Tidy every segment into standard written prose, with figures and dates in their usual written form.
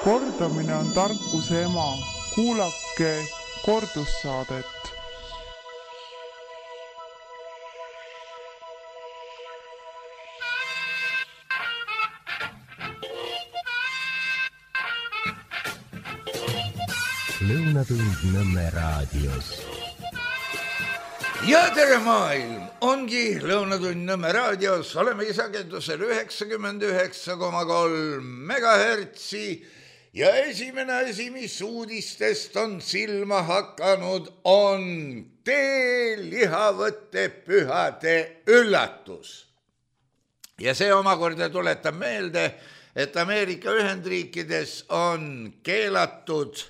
Kordamine on tarkuse ema. Kuulake kordussaadet. Lõunatund Nõmme raadios. Ja tere maailm! Ongi Lõunatund Nõmme raadios. Oleme sagedusel 99,3 megahertsi ja esimene asi, mis uudistest on silma hakanud, on teelihavõtte pühade üllatus. Ja see omakorda tuletab meelde, et Ameerika Ühendriikides on keelatud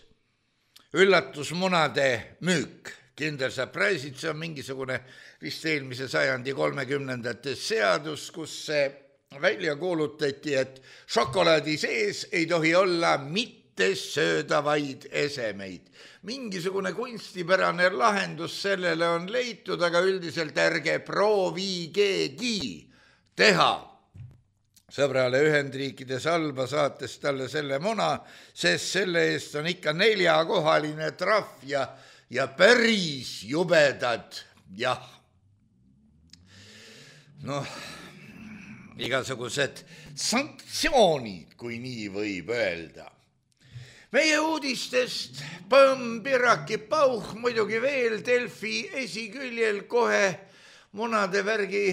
üllatusmunade müük. Kinder Surprise'id, see on mingisugune vist eelmise sajandi 30. seadus, kus see välja kuulutati, et šokolaadi sees ei tohi olla mitte söödavaid esemeid. Mingisugune kunstipärane lahendus sellele on leitud, aga üldiselt ärge proovigegi teha sõbrale Ühendriikides halba, saates talle selle muna, sest selle eest on ikka 4-kohaline trahv ja päris jubedad, jah. Noh, igasugused sanktsioonid, kui nii võib öelda. Meie uudistest Põmm-Piraki Pauh, muidugi veel Delfi esiküljel kohe munade värgi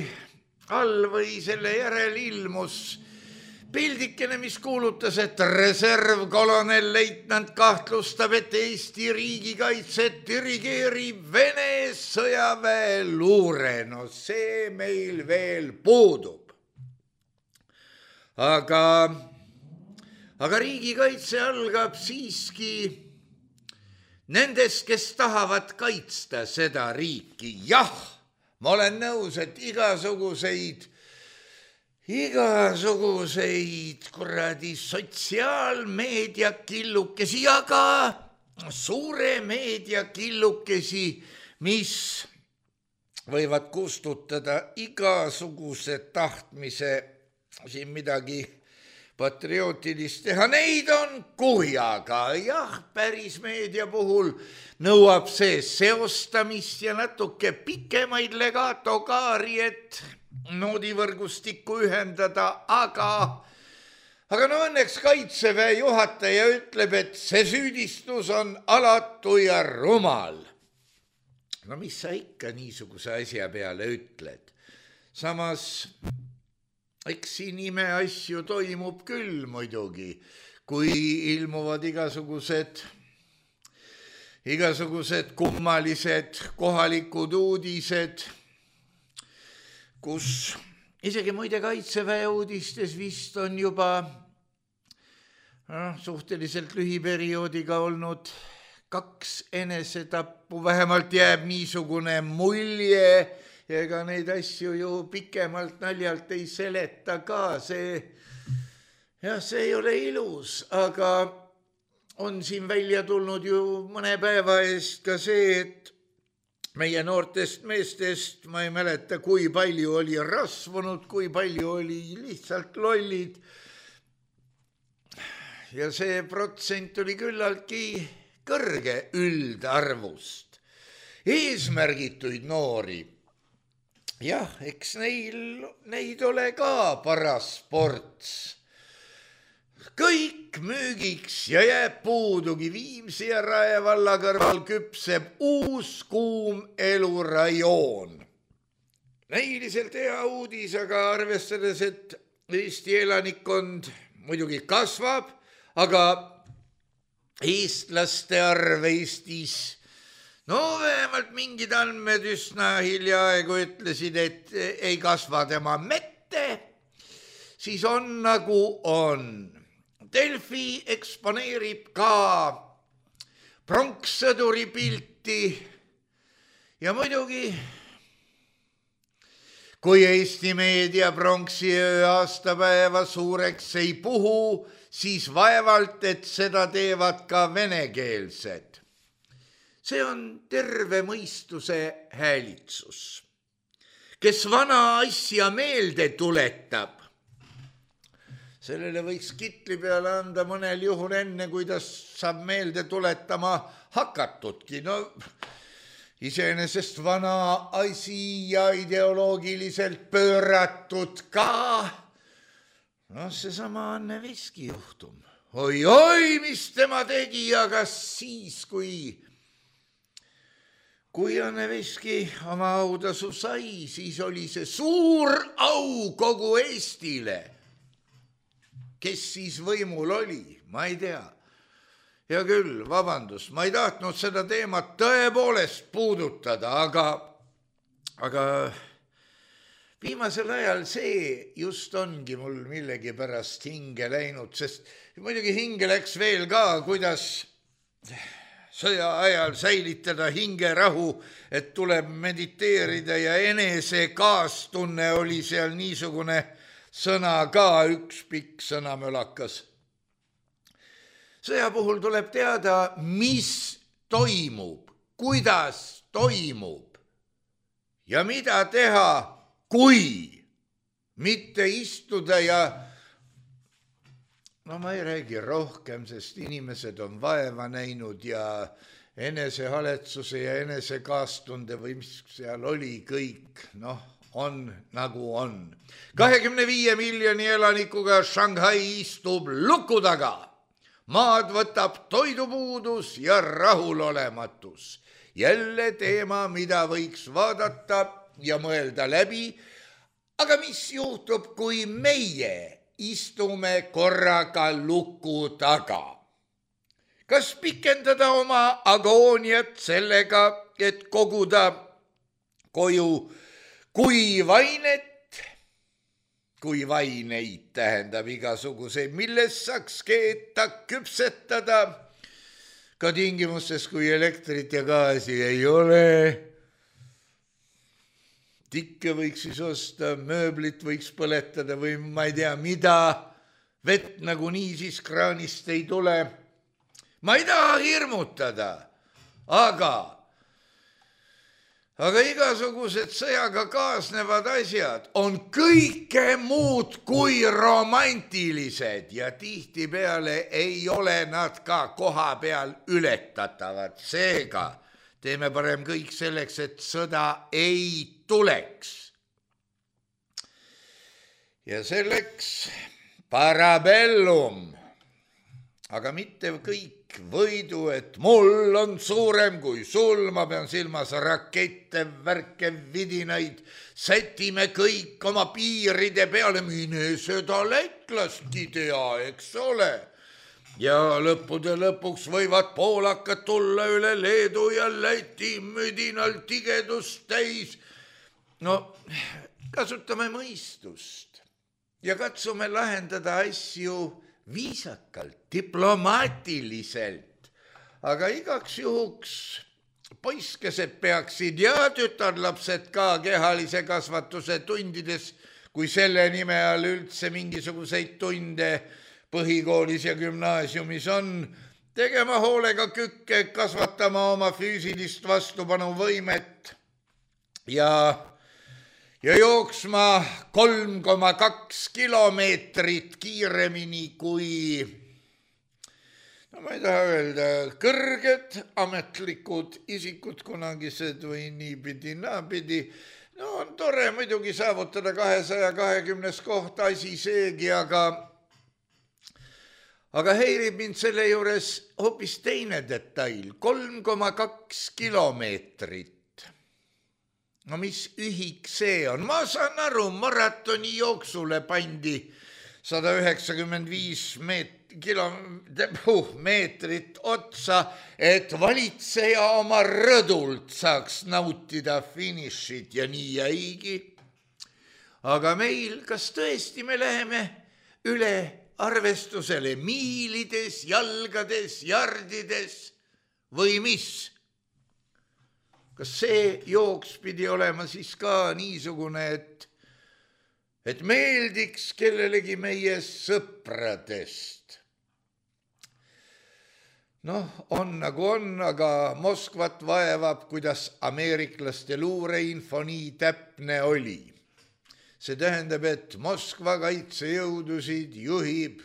all või selle järel ilmus pildikene, mis kuulutas, et reservkolonel leitnant kahtlustab, et Eesti riigikaitset dirigeerib Vene sõjaväe luure. No see meil veel puudub. Aga riigikaitse algab siiski nendest, kes tahavad kaitsta seda riiki. Jah, ma olen nõus, et igasuguseid kuradi sotsiaalmeediakillukesi ja ka suure meediakillukesi, mis võivad kustutada igasuguse tahtmise siin midagi patriootilist teha. Neid on kuhjaga. Jah, päris meedia puhul nõuab see seostamist ja natuke pikemaid legatokaari, et noodivõrgustikku ühendada, aga no õnneks Kaitseväe juhataja ütleb, et see süüdistus on alatu ja rumal. No mis sa ikka niisuguse asja peale ütled? Samas, eks siin imeasju toimub küll muidugi, kui ilmuvad igasugused kummalised kohalikud uudised, kus isegi muide Kaitseväe uudistes vist on juba suhteliselt lühiperioodiga olnud 2 enesetappu, vähemalt jääb niisugune mulje, ja ega neid asju ju pikemalt naljalt ei seleta ka, see ei ole ilus, aga on siin välja tulnud ju mõne päeva eest ka see, et meie noortest meestest, ma ei mäleta, kui palju oli rasvunud, kui palju oli lihtsalt lollid. Ja see protsent oli küllaltki kõrge üldarvust. Eesmärgituid noori. Jah, eks neid ole ka paras ports. Kõik müügiks ja jääb puudugi. Viimsi ja Rae valla kõrval küpseb uus kuum elurajoon. Näiliselt hea uudis, aga arvestades, et Eesti elanikkond muidugi kasvab, aga eestlaste arv Eestis, vähemalt mingid andmed üsna hiljaaegu ütlesid, et ei kasva tema mette, siis on nagu on. Delfi eksponeerib ka pronkssõduri pilti ja muidugi, kui Eesti meedia pronksiöö aastapäeva suureks ei puhu, siis vaevalt, et seda teevad ka venekeelsed. See on terve mõistuse häälitsus, kes vana asja meelde tuletab, sellele võiks kitli peale anda mõnel juhul enne, kui ta saab meelde tuletama hakatudki. No iseenesest vana asi ja ideoloogiliselt pööratud ka. No seesama Anne Veski juhtum. Oi, mis tema tegi, aga siis, kui Anne Veski oma autasu sai, siis oli see suur au kogu Eestile. Kes siis võimul oli, ma ei tea. Ja küll, vabandust, ma ei tahtnud seda teemat tõepoolest puudutada, aga viimasel ajal see just ongi mul millegi pärast hinge läinud, sest muidugi hinge läks veel ka, kuidas sõja ajal säilitada hingerahu, et tuleb mediteerida ja enese kaastunne oli seal niisugune sõna ka, üks pikk sõnamölakas. Sõja puhul tuleb teada, mis toimub, kuidas toimub ja mida teha, kui mitte istuda ja no ma ei räägi rohkem, sest inimesed on vaeva näinud ja enesehaletsuse ja enesekaastunde või mis seal oli kõik, on nagu on. 25 miljoni elanikuga Shanghai istub luku taga. Maad võtab toidupuudus ja rahulolematus. Jälle teema, mida võiks vaadata ja mõelda läbi. Aga mis juhtub, kui meie istume korraga luku taga? Kas pikendada oma agooniat sellega, et koguda koju kuivainet? Kuivaineid tähendab igasuguseid, millest saaks keeta, küpsetada, ka tingimustes, kui elektrit ja gaasi ei ole. Tikke võiks siis osta, mööblit võiks põletada või ma ei tea mida, vett nagunii siis kraanist ei tule. Ma ei taha hirmutada, aga igasugused sõjaga kaasnevad asjad on kõike muud kui romantilised ja tihtipeale ei ole nad ka koha peal ületatavad. Seega teeme parem kõik selleks, et sõda ei tuleks. Ja selleks parabellum, aga mitte kõik võidu, et mul on suurem kui sul, ma pean silmas rakette, värke, vidinaid, sätime kõik oma piiride peale, mine seda lätlastki tea, eks ole. Ja lõppude lõpuks võivad poolakad tulla üle Leedu ja Läti müdinal tigedust täis. No, kasutame mõistust ja katsume lahendada asju viisakalt, diplomaatiliselt, aga igaks juhuks poiskesed peaksid ja tütarlapsed ka kehalise kasvatuse tundides, kui selle nime all üldse mingisuguseid tunde põhikoolis ja gümnaasiumis on, tegema hoolega kükke, kasvatama oma füüsilist vastupanuvõimet ja jooksma 3,2 kilomeetrit kiiremini kui, no ma ei taha öelda, kõrged ametlikud isikud kunagised või niipidi, naapidi. No on tore muidugi saavutada 220 koht, asi seegi, aga häirib mind selle juures hoopis teine detail, 3,2 kilomeetrit. No mis ühik see on? Ma saan aru, maratoni jooksule pandi 195 meetrit otsa, et valitseja oma rõdult saaks nautida finišit ja nii jäigi. Aga meil, kas tõesti me läheme üle arvestusele miilides, jalgades, jardides või mis? Kas see jooks pidi olema siis ka niisugune, et meeldiks kellelegi meie sõpradest? Noh, on nagu on, aga Moskvat vaevab, kuidas ameeriklaste luureinfo nii täpne oli. See tähendab, et Moskva kaitsejõudusid juhib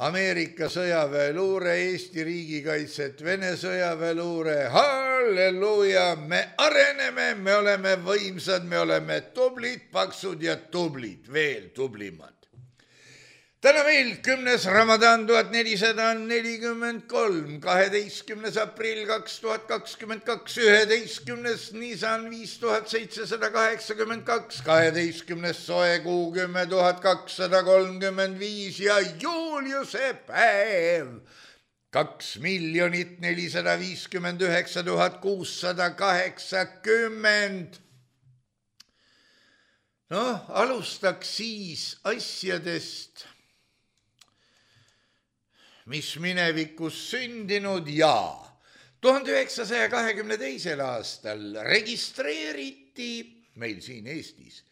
Ameerika sõjaväeluure, Eesti riigikaitset, Vene sõjaväeluure. Halleluuja, me areneme, me oleme võimsad, me oleme tublid, paksud ja tublid, veel tublimad. Täna meil 10. Ramadan 1443, 12. aprill 2022, 11. Nisan 5782, 12. soe kuu 10 235 ja Juliuse päev 2 459 680. Noh, alustaks siis asjadest, mis minevikus sündinud ja 1922. aastal registreeriti meil siin Eestis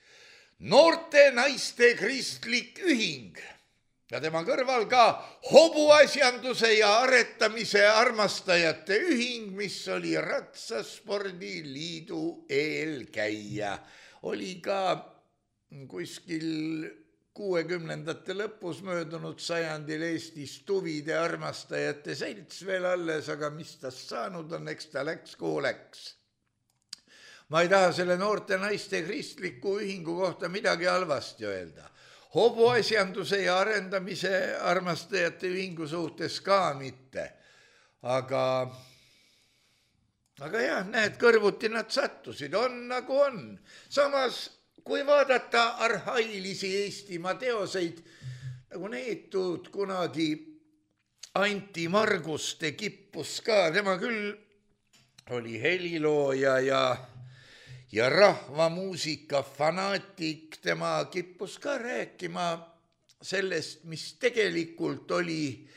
noorte naiste kristlik ühing ja tema kõrval ka hobuasjanduse ja aretamise armastajate ühing, mis oli Ratsaspordiliidu eelkäija. Oli ka kuskil 60ndate lõpus möödunud sajandil Eestis tuvide armastajate selts veel alles, aga mis tast saanud on, eks ta läks kuhu läks. Ma ei taha selle noorte naiste kristliku ühingu kohta midagi halvasti öelda. Hobuasjanduse ja arendamise armastajate ühingu suhtes ka mitte. Aga jah, näed, kõrvuti nad sattusid, on nagu on. Samas, kui vaadata arhailisi Eestimaa teoseid, nagu neetud kunagi Anti Marguste kippus ka, tema küll oli helilooja ja rahvamuusika fanaatik, tema kippus ka rääkima sellest, mis tegelikult oli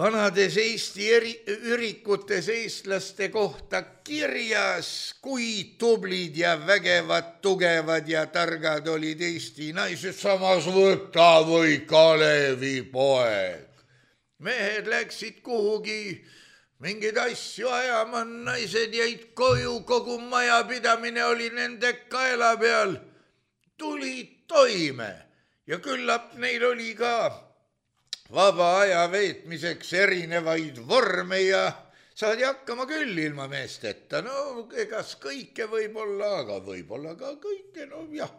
vanades Eesti ürikutes eestlaste kohta kirjas, kui tublid ja vägevad, tugevad ja targad olid Eesti naised, samas võta või Kalevi poeg. Mehed läksid kuhugi mingeid asju ajama, naised jäid koju, kogu majapidamine oli nende kaela peal, tulid toime ja küllap neil oli ka vaba aja veetmiseks erinevaid vorme ja saadi hakkama küll ilma meesteta. No egas kõike võib-olla, aga võib-olla ka kõike, no jah.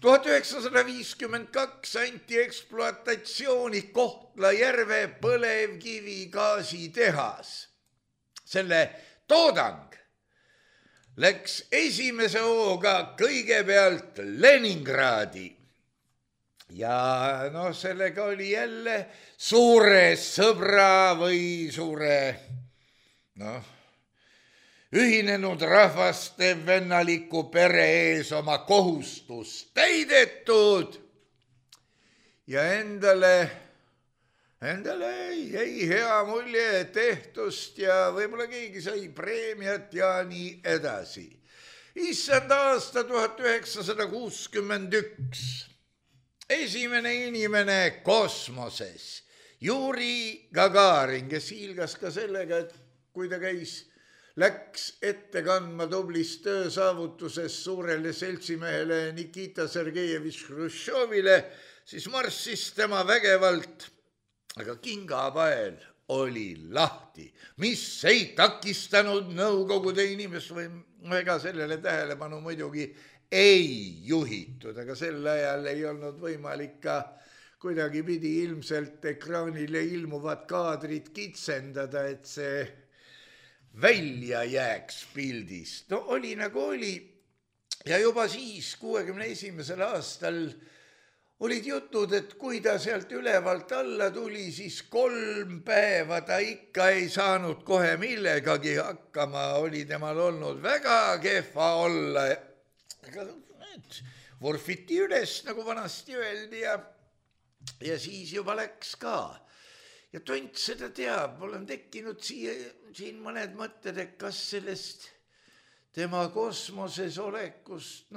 1952 anti ekspluatatsiooni Kohtla-Järve põlevkivigaasitehas. Selle toodang läks esimese hooga kõigepealt Leningradi. Ja no sellega oli jälle suure sõbra või suure ühinenud rahvaste vennaliku pere ees oma kohustus täidetud ja endale jäi hea mulje tehtust ja võib-olla keegi sai preemiat ja nii edasi. Issand aasta 1961. Esimene inimene kosmoses, Juri Gagarin, kes hiilgas ka sellega, et kui ta läks ette kandma tublist töösaavutusest suurele seltsimehele Nikita Sergejevitš Hruštšovile, siis marssis tema vägevalt, aga kingapael oli lahti, mis ei takistanud Nõukogude inimest või ega sellele tähelepanu muidugi ei juhitud, aga sel ajal ei olnud võimalik ka kuidagi pidi ilmselt ekraanile ilmuvad kaadrid kitsendada, et see välja jääks pildist. No oli nagu oli ja juba siis 61. aastal olid jutud, et kui ta sealt ülevalt alla tuli, siis 3 päeva ta ikka ei saanud kohe millegagi hakkama, oli temal olnud väga kehva olla. Vorfiti üles, nagu vanasti öeldi ja siis juba läks ka. Ja tont seda teab, mul on tekkinud siin mõned mõtted, et kas sellest tema kosmoses olekust,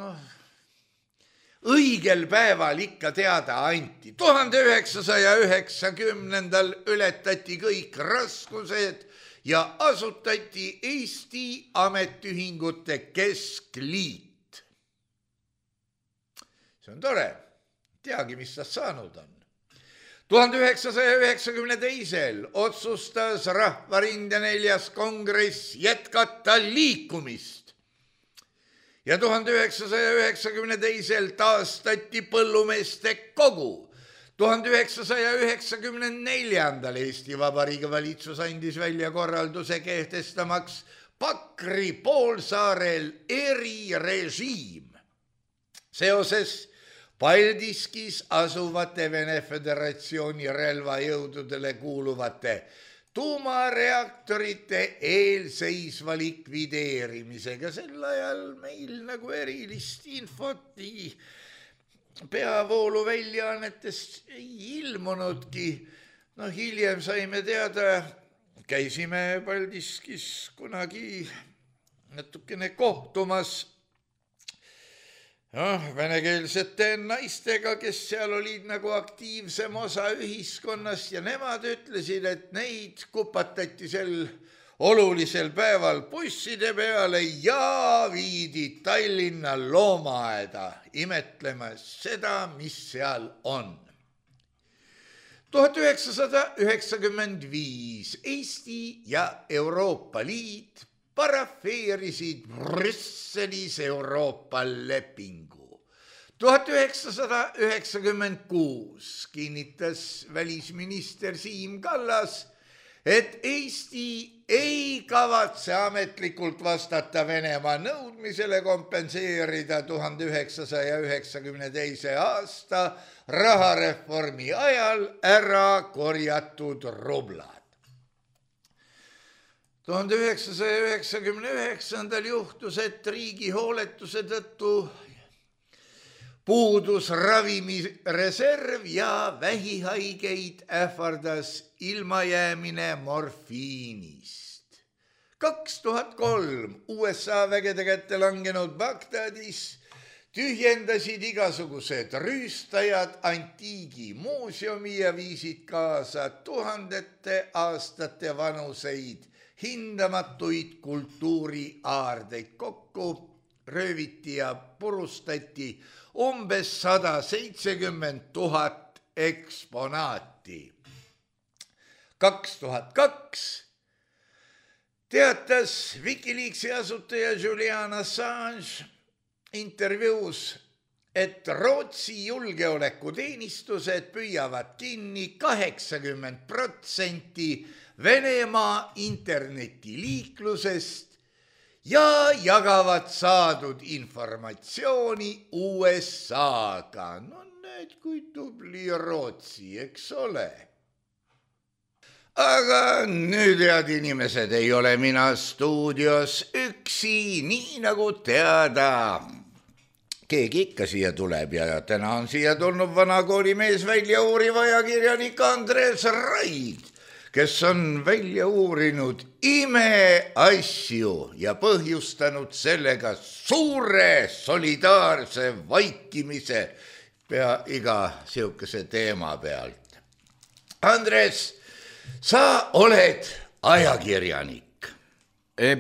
õigel päeval ikka teada anti. 1990. ületati kõik raskused ja asutati Eesti Ametiühingute Keskliit. see on tore, teagi, mis tast saanud on. 1992. otsustas Rahvarinde 4. kongress jätkata liikumist ja 1992. taastati põllumeeste kogu. 1994. Eesti Vabariigi valitsus andis välja korralduse kehtestamaks Pakri poolsaarel erirežiim seoses Paldiskis asuvate Vene Föderatsiooni relvajõududele kuuluvate tuumareaktorite eelseisva likvideerimisega. Sel ajal meil nagu erilist infot peavoolu väljaannetest ei ilmunudki. Hiljem saime teada, käisime Paldiskis kunagi natukene kohtumas venekeelsete naistega, kes seal olid nagu aktiivsem osa ühiskonnast ja nemad ütlesid, et neid kupatati sel olulisel päeval busside peale ja viidi Tallinna loomaaeda imetlema seda, mis seal on. 1995 Eesti ja Euroopa Liit parafeerisid Brüsselis Euroopa lepingu. 1996 kinnitas välisminister Siim Kallas, et Eesti ei kavatse ametlikult vastata Venemaa nõudmisele kompenseerida 1992. aasta rahareformi ajal ära korjatud rublad. 1999. juhtus, et riigi hooletuse tõttu puudus ravimireserv ja vähihaigeid ähvardas ilmajäämine morfiinist. 2003 USA vägede kätte langenud Bagdadis tühjendasid igasugused rüüstajad antiigi muuseumi ja viisid kaasa tuhandete aastate vanuseid hindamatuid kultuuriaardeid. Kokku rööviti ja purustati umbes 170 000 eksponaati. 2002 teatas Wikileaksi asutaja Julian Assange intervjuus, et Rootsi julgeolekuteenistused püüavad kinni 80% Venemaa internetiliiklusest ja jagavad saadud informatsiooni USA-ga. No näed, kui tubli Rootsi, eks ole. Aga nüüd, head inimesed, ei ole mina stuudios üksi, nii nagu teada. Keegi ikka siia tuleb ja täna on siia tulnud vanakoolimees, väljauuriv ajakirjanik Andres Raid, kes on välja uurinud imeasju ja põhjustanud sellega suure solidaarse vaikimise pea iga sihukese teema pealt. Andres, sa oled ajakirjanik.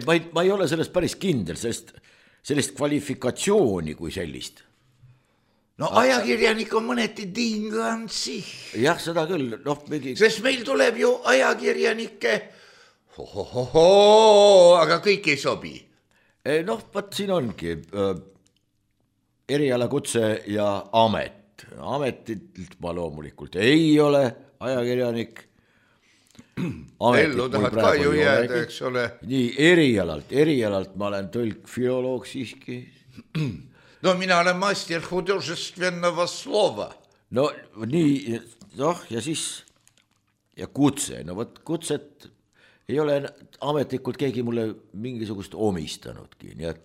Ma ei ole sellest päris kindel, sellist kvalifikatsiooni kui sellist. No ajakirjanik on mõneti tingansi. Jah, seda küll. Sest meil tuleb ju ajakirjanike, aga kõik ei sobi. Vaat siin ongi erialakutse ja amet. Ametilt ma loomulikult ei ole ajakirjanik. Ellu tahad ka ju jääda, eks ole. Nii, erialalt ma olen tõlk, filoloog siiski. No mina olen master hudожественного slova. No nii, ja siis ja kutse. No võt kutset ei ole ametlikult keegi mulle mingisugust omistanudki, nii et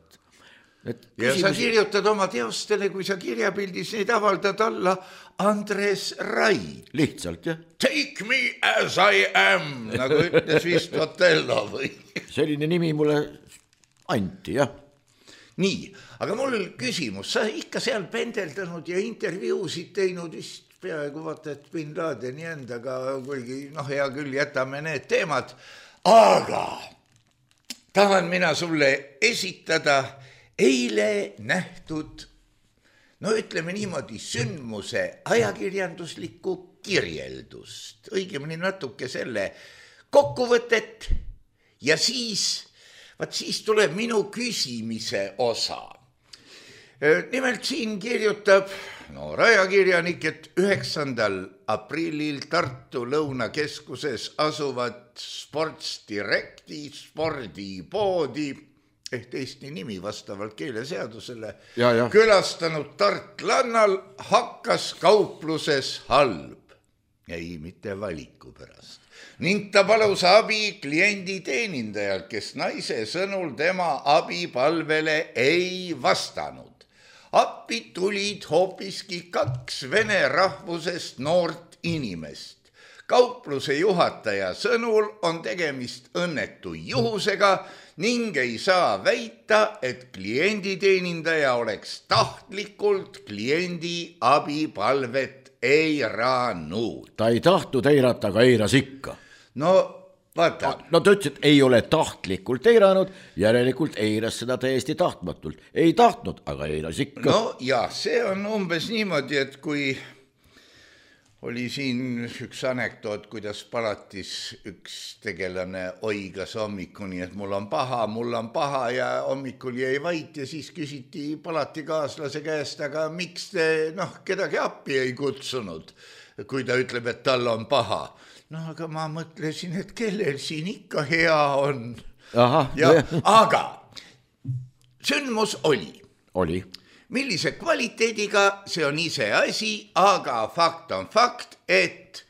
ja sa kirjutad oma teostele, kui sa kirjapildis neid avaldad alla Andres Raid. Lihtsalt, jah. Take me as I am, nagu ütles vist Otello või? Selline nimi mulle anti, jah. Nii, aga mul küsimus, sa ikka seal pendeldanud ja intervjuusid teinud vist peaaegu vaata, et Bin Ladeni endaga, kuigi hea küll, jätame need teemad, aga tahan mina sulle esitada eile nähtud no ütleme niimoodi, sündmuse ajakirjanduslikku kirjeldust, õigemini natuke selle kokkuvõtet ja siis tuleb minu küsimise osa. Nimelt siin kirjutab ajakirjanik, et 9. aprillil Tartu Lõunakeskuses asuvad Sports Directi spordipoodi ehk Eesti nimi vastavalt keeleseadusele külastanud tartlannal hakkas kaupluses halb. Ei, mitte valiku pärast. Ning ta palus abi kliendi teenindajalt, kes naise sõnul tema abipalvele ei vastanud. Appi tulid hoopiski 2 vene rahvusest noort inimest. Kaupluse juhataja sõnul on tegemist õnnetu juhusega ning ei saa väita, et klienditeenindaja oleks tahtlikult kliendi abipalvet eiranud. Ta ei tahtnud eirata, aga eiras ikka. No vaata. No ta ütles, et ei ole tahtlikult eiranud, järelikult eiras seda täiesti tahtmatult. Ei tahtnud, aga eiras ikka. No ja see on umbes niimoodi, et kui oli siin üks anekdoot, kuidas palatis üks tegelane oigas hommikuni, et mul on paha ja hommikul jäi vait ja siis küsiti palatikaaslase käest, aga miks te kedagi appi ei kutsunud, kui ta ütleb, et tal on paha. No aga ma mõtlesin, et kellel siin ikka hea on. Aga sündmus oli. Millise kvaliteediga, see on ise asi, aga fakt on fakt, et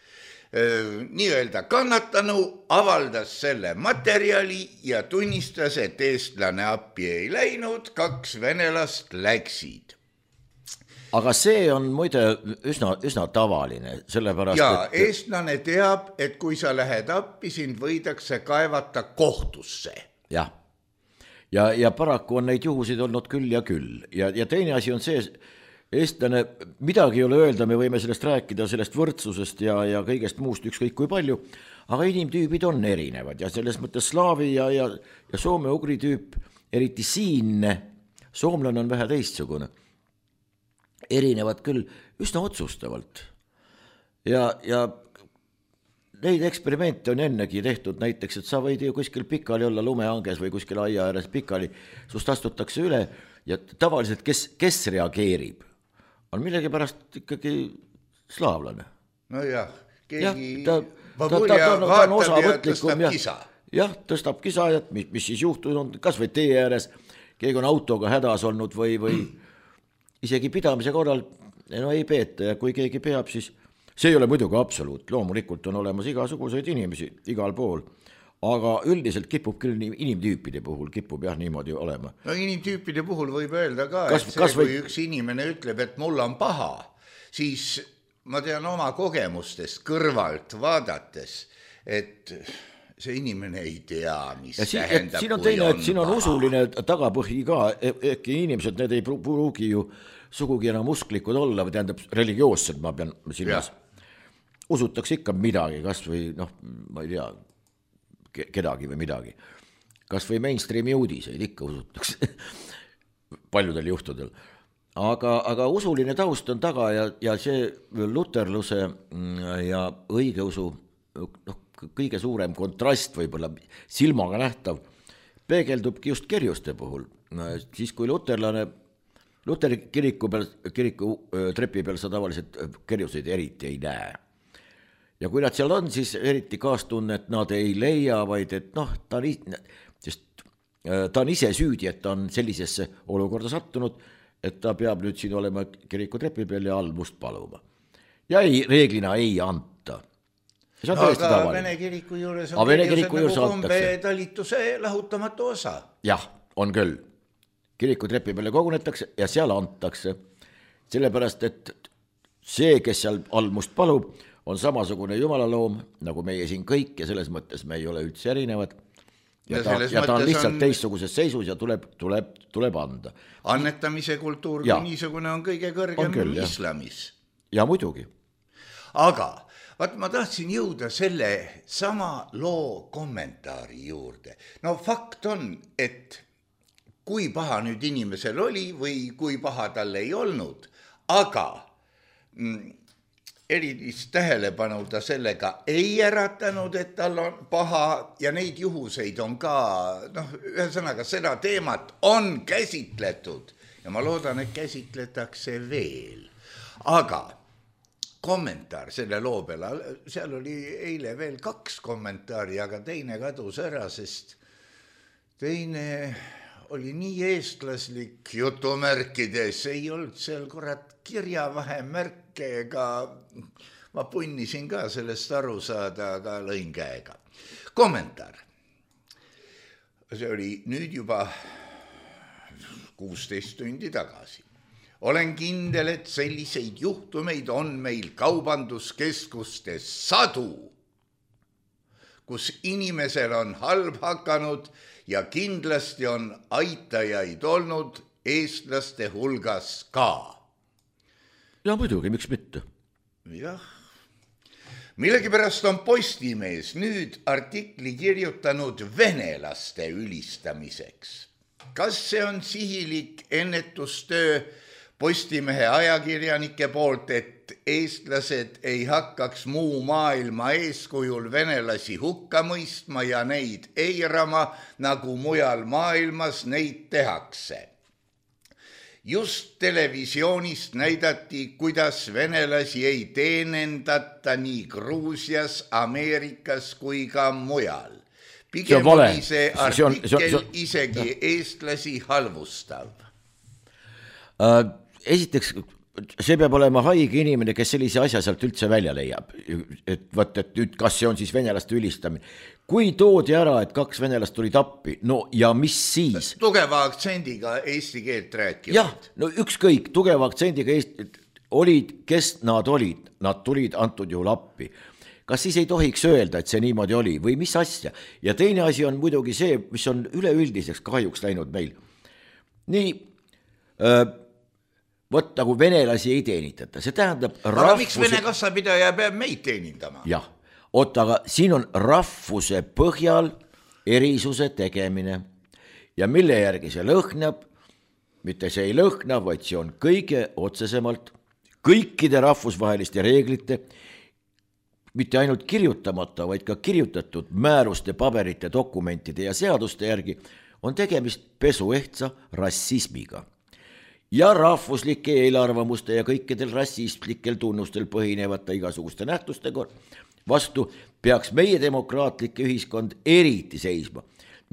nii-öelda kannatanu avaldas selle materjali ja tunnistas, et eestlane appi ei läinud, 2 venelast läksid. Aga see on muide üsna tavaline, sellepärast et eestlane teab, et kui sa lähed appi, sind võidakse kaevata kohtusse. Jah. Ja paraku on neid juhusid olnud küll ja küll. Ja teine asi on see, eestlane, midagi ei ole öelda, me võime sellest rääkida, sellest võrdsusest ja kõigest muust ükskõik kui palju, aga inimtüübid on erinevad ja selles mõttes slaavi ja soome-ugri tüüp, eriti siinne, soomlane on vähe teistsugune, erinevad küll üsna otsustavalt. Ja neid eksperimente on ennegi tehtud näiteks, et sa võid ju kuskil pikali olla lumehanges või kuskil aia ääres pikali, sust astutakse üle ja tavaliselt kes reageerib, on millegi ikkagi slaavlane. No jah, keegi ta on osavõtlikum ja tõstab kisa, et mis siis juhtud on, kas või tee ääres, keegi on autoga hädas olnud või isegi pidamise korral ei peeta ja kui keegi peab, siis see ei ole muidugi absoluut, loomulikult on olemas igasuguseid inimesi igal pool, aga üldiselt kipub küll inimtüüpide puhul, kipub niimoodi olema. No inimtüüpide puhul võib öelda ka, et kui üks inimene ütleb, et mul on paha, siis ma tean oma kogemustest kõrvalt vaadates, et see inimene ei tea, mis tähendab, siin on teine, et siin on usuline tagapõhi ka, äkki inimesed, need ei pruugi ju sugugi enam usklikud olla, või tähendab religioossed, ma pean silmas. Usutakse ikka midagi, kas või, ma ei tea, kedagi või midagi. Kas või mainstreami uudiseid ikka usutakse paljudel juhtudel. Aga usuline taust on taga ja see luterluse ja õigeusu kõige suurem kontrast võib-olla silmaga nähtav peegeldubki just kerjuste puhul. Siis kui Luteri kiriku trepi peal sa tavaliselt kerjuseid eriti ei näe. Ja kui nad seal on, siis eriti kaastunnet nad ei leia, vaid et ta on ise süüdi, et ta on sellisesse olukorda sattunud, et ta peab nüüd siin olema kiriku trepi peal ja almust paluma. Ja reeglina ei anta. Aga Vene kiriku juures on kerjused nagu kombe talituse lahutamatu osa. Jah, on küll. Kiriku trepi peale kogunetakse ja seal antakse. Sellepärast, et see, kes seal almust palub, on samasugune jumalaloom, nagu meie siin kõik ja selles mõttes me ei ole üldse erinevad. Ja ta on lihtsalt teistsuguses seisus ja tuleb anda. Annetamise kultuur kui niisugune on kõige kõrgem islamis. Ja muidugi. Aga ma tahtsin jõuda selle sama loo kommentaari juurde. No fakt on, et kui paha nüüd inimesel oli või kui paha tal ei olnud, aga erilist tähelepanu ta sellega ei äratanud, et tal on paha ja neid juhuseid on ka, ühesõnaga seda teemat on käsitletud ja ma loodan, et käsitletakse veel. Aga kommentaar selle loo peale, seal oli eile veel 2 kommentaari, aga teine kadus ära, sest teine oli nii eestlaslik jutumärkides, ei olnud seal kirjavahemärke ega ma punnisin ka sellest aru saada, aga lõin käega. Kommentaar. See oli nüüd juba 16 tundi tagasi. Olen kindel, et selliseid juhtumeid on meil kaubanduskeskustes sadu, kus inimesel on halb hakanud ja kindlasti on aitajaid olnud eestlaste hulgas ka. Ja muidugi, miks mitte? Jah. Millegipärast on Postimees nüüd artikli kirjutanud venelaste ülistamiseks. Kas see on sihilik ennetustöö Postimehe ajakirjanike poolt, et eestlased ei hakkaks muu maailma eeskujul venelasi hukka mõistma ja neid eirama, nagu mujal maailmas neid tehakse? Just televisioonist näidati, kuidas venelasi ei teenendata nii Gruusias, Ameerikas kui ka mujal. Pigem oli see artikkel isegi eestlasi halvustav. Esiteks, see peab olema haige inimene, kes sellise asja sealt üldse välja leiab. Et nüüd, kas see on siis venelaste ülistamine? Kui toodi ära, et 2 venelast tulid appi, no ja mis siis? Tugeva aktsendiga eesti keelt rääkivad. Jah, no ükskõik, tugeva aktsendiga olid, kes nad olid. Nad tulid antud juhul appi. Kas siis ei tohiks öelda, et see niimoodi oli või mis asja? Ja teine asi on muidugi see, mis on üleüldiseks kahjuks läinud meil. Nii, võt nagu venelasi ei teenitata. See tähendab aga miks Vene kassapidaja peab meid teenindama? Jah. Aga siin on rahvuse põhjal erisuse tegemine ja mille järgi see lõhnab, mitte see ei lõhna, vaid see on kõige otsesemalt kõikide rahvusvaheliste reeglite, mitte ainult kirjutamata, vaid ka kirjutatud määruste, paberite, dokumentide ja seaduste järgi on tegemist pesuehtsa rassismiga. Ja rahvuslike eelarvamuste ja kõikidel rassistlikel tunnustel põhinevate igasuguste nähtuste vastu peaks meie demokraatlik ühiskond eriti seisma,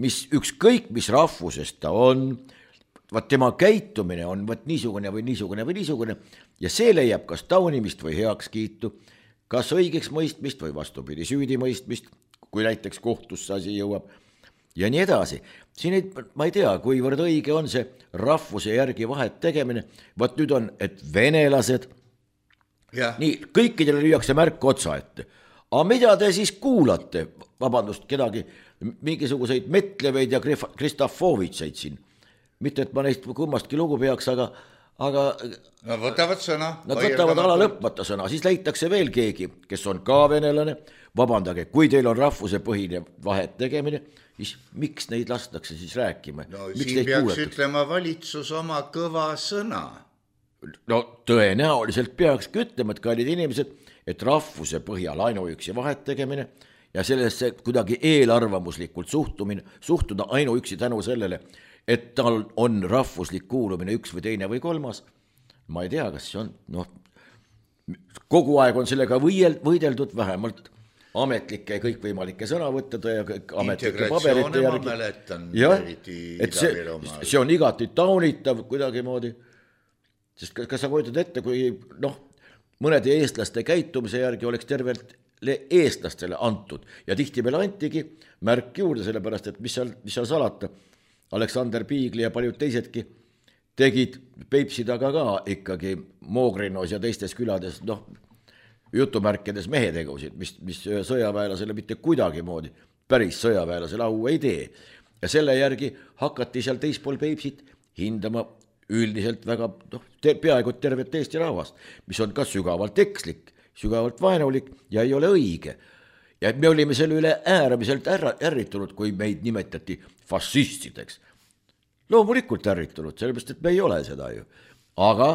mis ükskõik mis rahvusest ta on, tema käitumine on niisugune või niisugune või niisugune ja see leiab kas taunimist või heakskiitu, kas õigeks mõistmist või vastupidi süüdi mõistmist, kui näiteks kohtusse asi jõuab ja nii edasi. Siin ma ei tea, kuivõrd õige on see rahvuse järgi vahet tegemine, nüüd on, et venelased, nii kõikidele lüüakse märk otsa ette. Aga mida te siis kuulate, vabandust, kedagi, mingisuguseid Metleveid ja Kristofovitseid siin? Mitte, et ma neist kummastki lugu peaks, aga nad võtavad sõna. Nad võtavad ala lõpmata sõna, siis leitakse veel keegi, kes on ka venelane. Vabandage, kui teil on rahvuse põhine vahet tegemine, siis miks neid lastakse siis rääkima? No siin peaks ütlema valitsus oma kõva sõna. No tõenäoliselt peakski ütlema, et kallid inimesed, et rahvuse põhjal ainuüksi vahet tegemine ja sellesse kuidagi eelarvamuslikult suhtuda ainuüksi tänu sellele, et tal on rahvuslik kuulumine üks või teine või kolmas. Ma ei tea, kas see on, kogu aeg on sellega võideldud vähemalt ametlike ja kõikvõimalike sõnavõttude ja ametlike paberite järgi. See on igati taunitav kuidagimoodi, sest kas sa kujutad ette, kui mõnede eestlaste käitumise järgi oleks tervele eestlastele antud ja tihti meil antigi märk juurde, sellepärast, et mis seal salata. Aleksander Piigli ja paljud teisedki tegid Peipsi taga ka ikkagi Moogrinos ja teistes külades, jutumärkides mehetegusid, mis sõjaväelasele mitte kuidagi moodi päris sõjaväelasele au ei tee. Ja selle järgi hakati seal teispool Peipsit hindama üldiselt väga peaaegu tervet Eesti rahvast, mis on ka sügavalt ekslik, sügavalt vaenulik ja ei ole õige. Ja me olime selle üle äärmiselt ärritunud, kui meid nimetati fašistideks. Loomulikult ärritunud, sellepärast, et me ei ole seda ju. Aga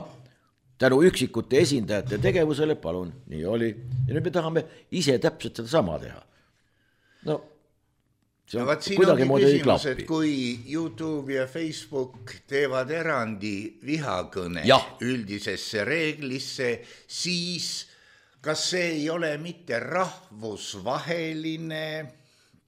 tänu üksikute esindajate tegevusele, palun, nii oli. Ja nüüd me tahame ise täpselt seda sama teha. No, see on kuidagi moodi ei klappi. Kui YouTube ja Facebook teevad erandi vihakõne üldisesse reeglisse, siis kas see ei ole mitte rahvusvaheline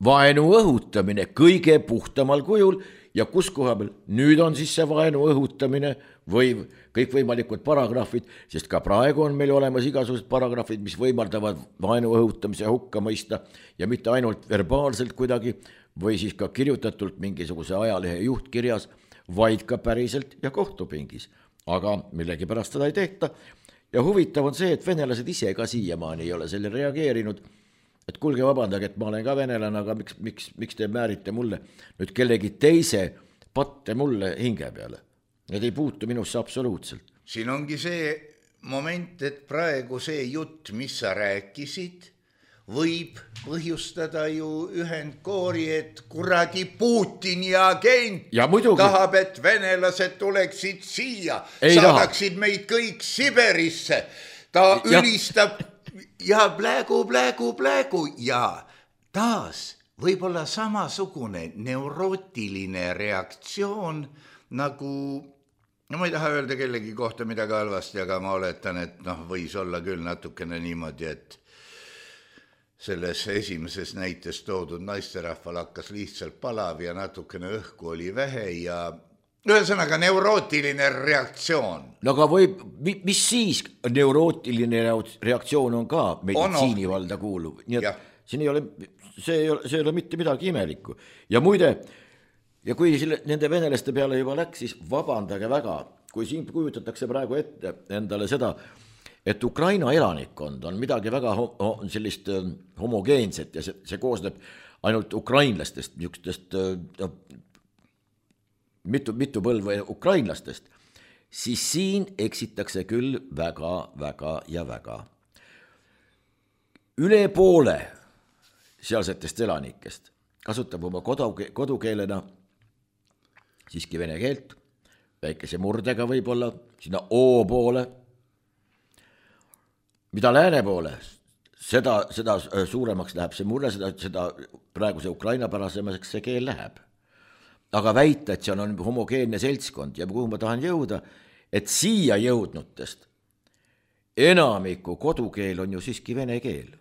vaenu õhutamine kõige puhtamal kujul ja kus koha peal nüüd on siis see vaenu õhutamine või kõikvõimalikud paragrahvid, sest ka praegu on meil olemas igasugused paragrahvid, mis võimaldavad vaenu õhutamise hukka mõista ja mitte ainult verbaalselt kuidagi või siis ka kirjutatult mingisuguse ajalehe juhtkirjas, vaid ka päriselt ja kohtupingis. Aga millegipärast seda ei tehta ja huvitav on see, et venelased ise ka siiamaani ei ole selle reageerinud, et kuulge vabandage, et ma olen ka venelane, aga miks te määrite mulle nüüd kellegi teise patte mulle hinge peale? Need ei puutu minusse absoluutselt. Siin ongi see moment, et praegu see jutt, mis sa rääkisid, võib põhjustada ju ühendkoori, et kuradi Putini agent tahab, et venelased tuleksid siia, saadaksid meid kõik Siberisse. Ta ülistab ja plägu ja taas võib-olla samasugune neurootiline reaktsioon nagu, no ma ei taha öelda kellegi kohta midagi halvasti, aga ma oletan, et võis olla küll natukene niimoodi, et selles esimeses näites toodud naisterahval hakkas lihtsalt palav ja natukene õhku oli vähe ja ühesõnaga neurootiline reaktsioon. No aga mis siis neurootiline reaktsioon on ka meditsiinivalda kuuluv? Nii et siin see ei ole mitte midagi imelikku. Ja muide, ja kui nende venelaste peale juba läks, siis vabandage väga, kui siin kujutatakse praegu ette endale seda, et Ukraina elanikkond on midagi väga sellist homogeenset ja see koosneb ainult ukrainlastest, niisugustest mitu põlve ukrainlastest, siis siin eksitakse küll väga ja väga. Üle poole sealsetest elanikest kasutab oma kodukeelena siiski vene keelt, väikese murdega võib-olla, sinna O poole, mida lääne poole, seda suuremaks läheb see murre, seda praeguse Ukraina pärasemaks see keel läheb. Aga väita, et see on homogeenne seltskond ja kuhu ma tahan jõuda, et siia jõudnutest enamiku kodukeel on ju siiski vene keel.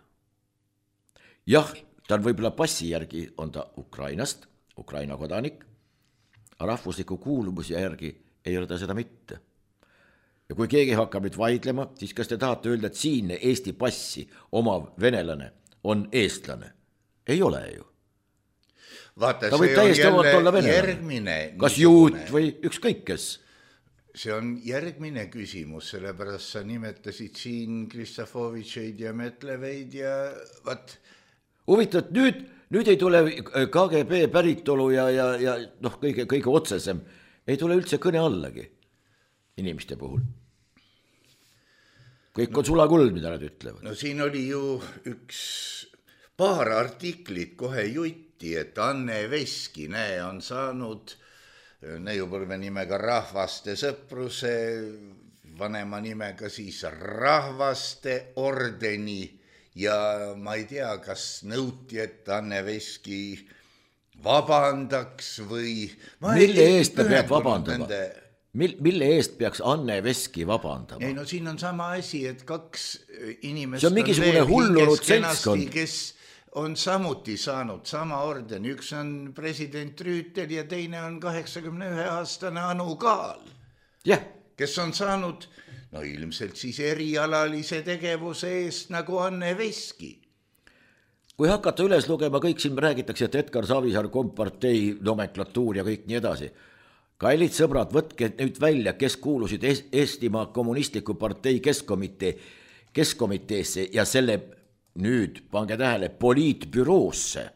Jah, ta on võib-olla passi järgi on ta Ukrainast, Ukraina kodanik, rahvusliku kuuluvuse järgi ei ole ta seda mitte. Ja kui keegi hakkab nüüd vaidlema, siis kas te tahate öelda, et siinne Eesti passi omav venelane on eestlane? Ei ole ju. Vaata, ta võib täiesti olla venelane. Kas juut või ükskõik kes? See on järgmine küsimus, sellepärast sa nimetasid siin Kristofovitšeid ja Metleveid ja vat. Huvitav, nüüd ei tule KGB päritolu ja kõige otsesem, ei tule üldse kõne allagi inimeste puhul. Kõik on sulakuld, mida nad ütlevad. No siin oli ju paar artiklit kohe jutti, et Anne Veski on saanud neiupõlve nimega Rahvaste sõpruse, vanema nimega siis Rahvaste ordeni ja ma ei tea, kas nõuti, et Anne Veski vabandaks või... Mille eest ta peab vabandama? Mille eest peaks Anne Veski vabandama? Ei, no siin on sama asi, et kaks inimest see on mingisugune hullunud seltskond, kes on samuti saanud sama ordeni. Üks on president Rüütel ja teine on 81-aastane Anu Kaal, kes on saanud ilmselt siis erialalise tegevuse eest nagu Anne Veski. Kui hakata üles lugema, kõik siin räägitakse, et Edgar Savisaar, kompartei, nomenklatuur ja kõik nii edasi. Kallid sõbrad, võtke nüüd välja, kes kuulusid Eestimaa kommunistliku partei keskkomiteesse ja selle nüüd, pange tähele, poliitbüroosse.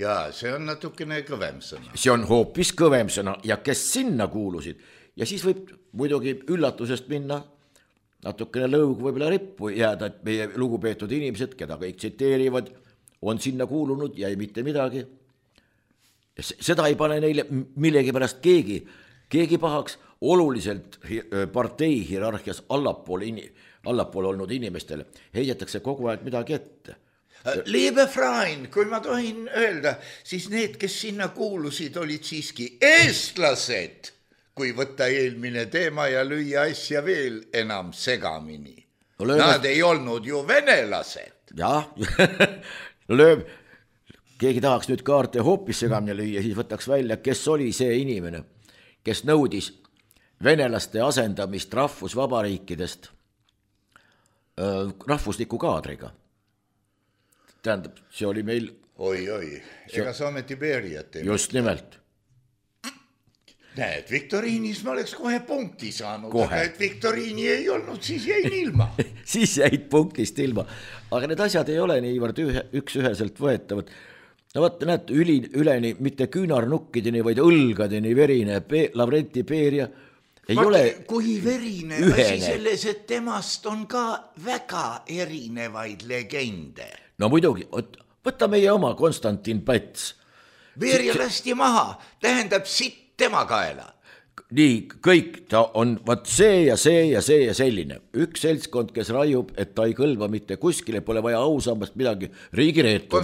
Ja see on natukene kõvem sõna. See on hoopis kõvem sõna ja kes sinna kuulusid. Ja siis võib muidugi üllatusest minna natukene lõug võib-olla rippu jääda, et meie lugupeetud inimesed, keda kõik tsiteerivad, on sinna kuulunud ja ei mitte midagi. Seda ei pane neile millegi pärast keegi pahaks, oluliselt partei hierarhias allapool olnud inimestele heidetakse kogu aeg midagi ette. Liebe Freund, kui ma tohin öelda, siis need, kes sinna kuulusid, olid siiski eestlased, kui võtta eelmine teema ja lüüa asja veel enam segamini. Nad ei olnud ju venelased. Jah, keegi tahaks nüüd kaarte hoopis segamini lüüa, siis võtaks välja, kes oli see inimene, kes nõudis venelaste asendamist rahvusvabariikidest rahvusliku kaadriga. Tähendab, see oli meil... Oi, ega saame Tiberiat. Just nimelt. Näed, viktoriinis ma oleks kohe punkti saanud, aga et viktoriini ei olnud, siis jäin ilma. Siis jäid punktist ilma. Aga need asjad ei ole niivõrd üks-üheselt võetavad. No vaata, näed, üleni mitte küünarnukkideni, vaid õlgadeni verine Lavrenti Beria ei ole kui verine asi selles, et temast on ka väga erinevaid legende. No muidugi, võta meie oma Konstantin Päts. Beria lasti maha, tähendab sitt tema kaela. Nii, kõik ta on vaat see ja see ja see ja selline. Üks seltskond, kes raiub, et ta ei kõlva mitte kuskile, pole vaja ausambast midagi riigireetur.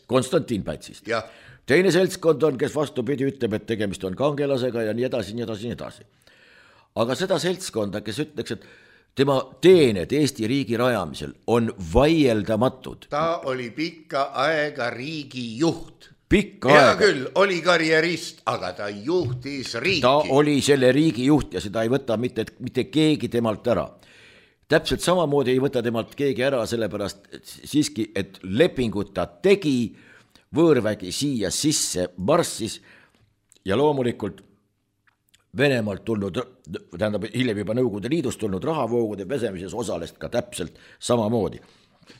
Konstantin Pätsist. Ja. Teine seltskond on, kes vastupidi ütleb, et tegemist on kangelasega ja nii edasi, nii edasi, nii edasi. Aga seda seltskonda, kes ütleks, et tema teened Eesti riigi rajamisel on vaieldamatud. Ta oli pikka aega riigi juht. Pikka Hea aega. Küll, oli karjerist, aga ta juhtis riiki. Ta oli selle riigi juht ja seda ei võta mitte keegi temalt ära. Täpselt samamoodi ei võta temalt keegi ära, sellepärast siiski, et lepingut ta tegi, võõrvägi siia sisse marssis ja loomulikult Venemaalt tulnud, tähendab hiljem juba Nõukogude Liidust tulnud rahavoogude pesemises osalest ka täpselt samamoodi.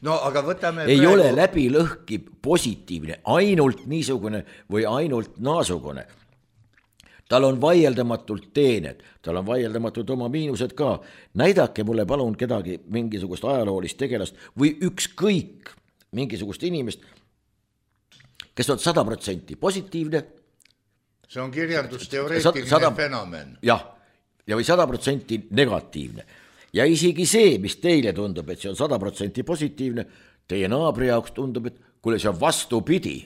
No aga võtame ei praegu... ole läbi lõhki positiivne, ainult niisugune või ainult naasugune. Tal on vaieldamatult teened, tal on vaieldamatult oma miinused ka. Näidake mulle palun kedagi mingisugust ajaloolist tegelast või ükskõik mingisugust inimest, kes on 100% positiivne. See on kirjandusteoreetiline fenomen. Jah, ja või 100% negatiivne. Ja isegi see, mis teile tundub, et see on 100% positiivne, teie naabri jaoks tundub, et kuule, see on vastupidi.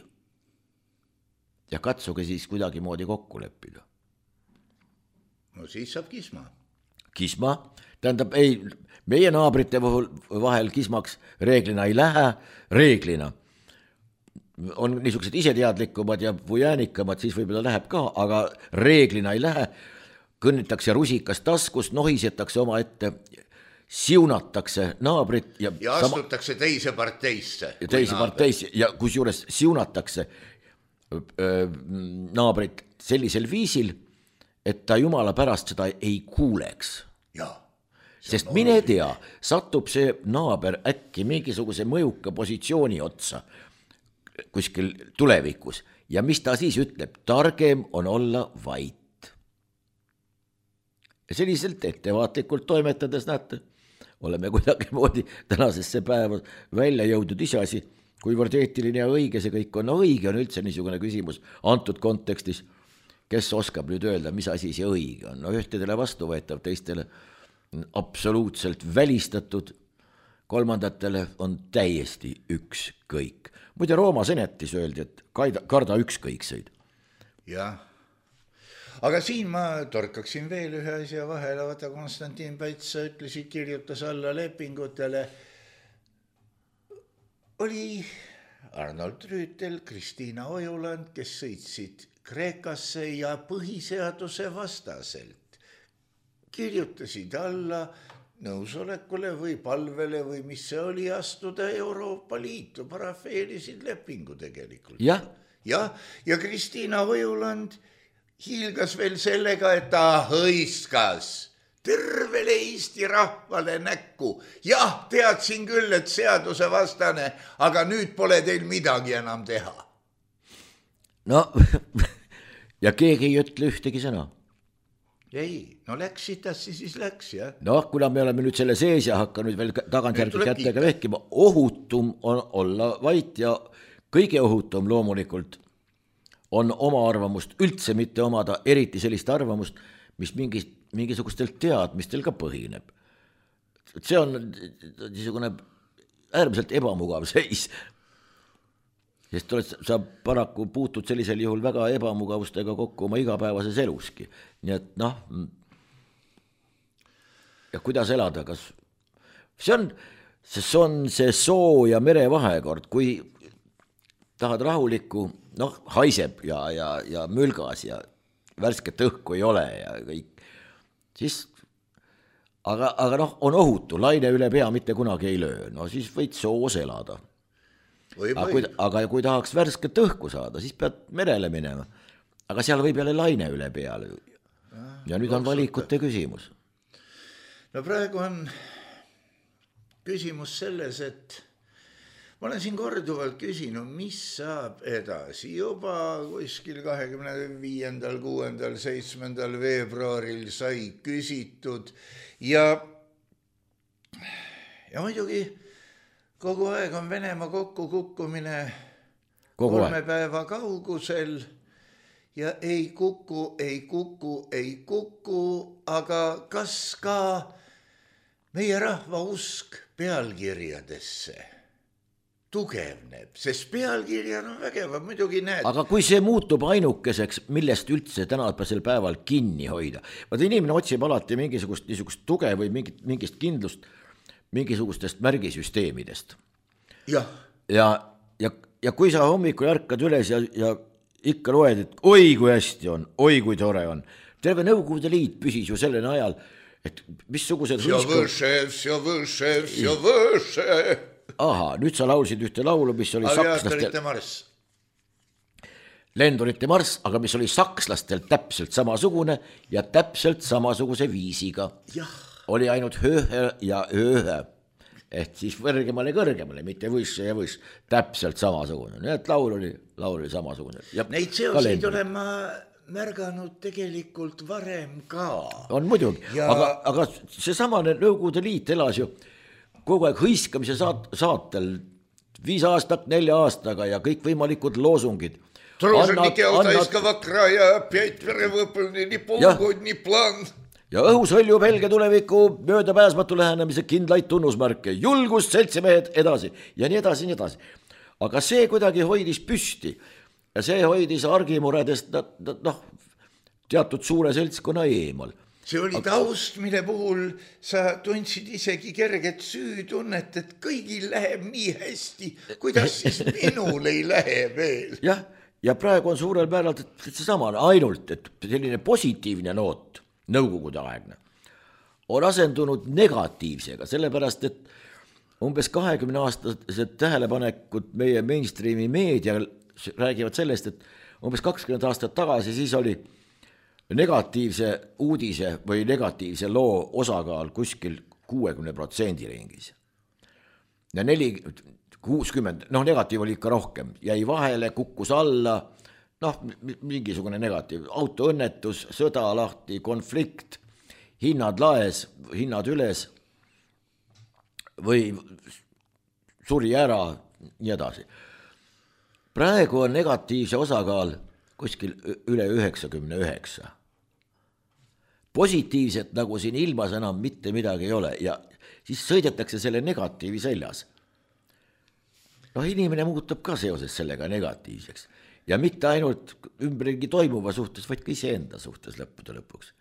Ja katsuge siis kuidagi moodi kokku leppida. No siis saab kisma. Kisma? Tähendab, ei, meie naabrite vahel kismaks reeglina ei lähe, reeglina. On niisugused iseteadlikumad ja pujäänikamad, siis võib-olla läheb ka, aga reeglina ei lähe. Kõnnitakse rusikas taskus, nohisetakse oma ette, siunatakse naabrit ja astutakse teise parteisse. Ja kusjuures siunatakse naabrit sellisel viisil, et ta jumala pärast seda ei kuuleks. Sest mine tea, satub see naaber äkki mingisuguse mõjuka positsiooni otsa kuskil tulevikus ja mis ta siis ütleb, targem on olla vait. Ja selliselt ettevaatlikult toimetades, näete, oleme kuidagi moodi tänasesse päeva välja jõudnud iseasi, kuivõrd eetiline ja õige see kõik on. No õige on üldse niisugune küsimus antud kontekstis, kes oskab nüüd öelda, mis asi see õige on. No ühtedele vastuvõetav, teistele absoluutselt välistatud, kolmandatele on täiesti ükskõik. Muide Rooma senetis öeldi, et karda ükskõikseid. Jah, aga siin ma torkaksin veel ühe asja vahele, vaata Konstantin Päts ütlesid, kirjutas alla lepingutele. Oli Arnold Rüütel, Kristiina Ojuland, kes sõitsid Kreekasse ja põhiseaduse vastaselt. Kirjutasid alla nõusolekule või palvele või mis see oli astuda Euroopa Liitu, parafeerisid lepingu tegelikult. Ja Kristiina Ojuland hiilgas veel sellega, et ta hõiskas tervele Eesti rahvale näkku. Jah, teadsin küll, et seaduse vastane, aga nüüd pole teil midagi enam teha. No, ja keegi ei ütle ühtegi sõna. Ei, no läks sitasti, siis läks, jah. No, kuna me oleme nüüd selle sees ja hakka nüüd veel tagantjärgi kättega vehkima, ohutum on olla vait ja kõige ohutum loomulikult on oma arvamust üldse mitte omada, eriti sellist arvamust, mis mingisugustel teadmistel ka põhineb. See on niisugune äärmiselt ebamugav seis. Sest sa paraku puutud sellisel juhul väga ebamugavustega kokku oma igapäevases eluski. Nii et ja kuidas elada, kas see on see soo ja mere vahekord, kui tahad rahulikku, haiseb ja mülgas ja värsket õhku ei ole ja kõik, siis aga on ohutu, laine üle pea mitte kunagi ei löö, siis võid soos elada. Aga kui tahaks värsket õhku saada, siis pead merele minema, aga seal võib jälle laine üle peale ja nüüd on valikute küsimus. No praegu on küsimus selles, et ma olen siin korduvalt küsinud, mis saab edasi. Juba kuskil 25., 6., 7. veebruaril sai küsitud ja muidugi kogu aeg on Venemaa kokkukukkumine 3 päeva kaugusel ja ei kuku, aga kas ka meie rahva usk pealkirjadesse tugevneb, sest pealkirjad on vägevad, muidugi näed. Aga kui see muutub ainukeseks, millest üldse tänasel päeval kinni hoida, vaata inimene otsib alati mingisugust niisugust tuge või mingist kindlust mingisugustest märgisüsteemidest. Ja kui sa hommikul ärkad üles ja ikka loed, et oi kui hästi on, oi kui tore on. Terve Nõukogude Liit püsis ju sellel ajal, et missugused Aha, nüüd sa laulsid ühte laulu, mis oli Lendurite marss, aga mis oli sakslastel täpselt samasugune ja täpselt samasuguse viisiga. Oli ainult höhe ja höhe. Et siis kõrgemale, mitte võisse ja võiss, täpselt samasugune. Nii et laul oli samasugune. Neid seoseid olen ma märganud tegelikult varem ka. On muidugi, aga seesamane Nõukogude Liit elas ju kogu aeg hõiskamise saatel 5 aastat, 4 aastaga ja kõik võimalikud loosungid. Труженики Алтайского края, 5 verevõpõlni, nii polgod, nii plaan. Ja õhus hõljub helge tuleviku möödapääsmatu lähenemise kindlaid tunnusmärke, julgust, seltsimehed, edasi ja nii edasi, nii edasi. Aga see kuidagi hoidis püsti ja see hoidis argimuredest teatud suure seltskonna eemal. See oli taust, mille puhul sa tundsid isegi kerget süütunnet, et kõigil läheb nii hästi, kuidas siis minul ei lähe veel. Ja praegu on suurel määral seesama ainult, et selline positiivne noot, Nõukogude aegne, on asendunud negatiivsega, sellepärast, et umbes 20-aastased tähelepanekud meie mainstreami meedial räägivad sellest, et umbes 20 aastat tagasi siis oli negatiivse uudise või negatiivse loo osakaal kuskil 60% ringis. Ja 60, negatiiv oli ikka rohkem, jäi vahele, kukkus alla, mingisugune negatiiv, autoõnnetus, sõda lahti, konflikt, hinnad laes, hinnad üles või suri ära, nii edasi. Praegu on negatiivse osakaal kuskil üle 99. Positiivset nagu siin ilmas enam mitte midagi ei ole ja siis sõidetakse selle negatiivi seljas. Inimene muutub ka seoses sellega negatiivseks. Ja mitte ainult ümberringi toimuva suhtes, vaid ka iseenda suhtes lõpuks.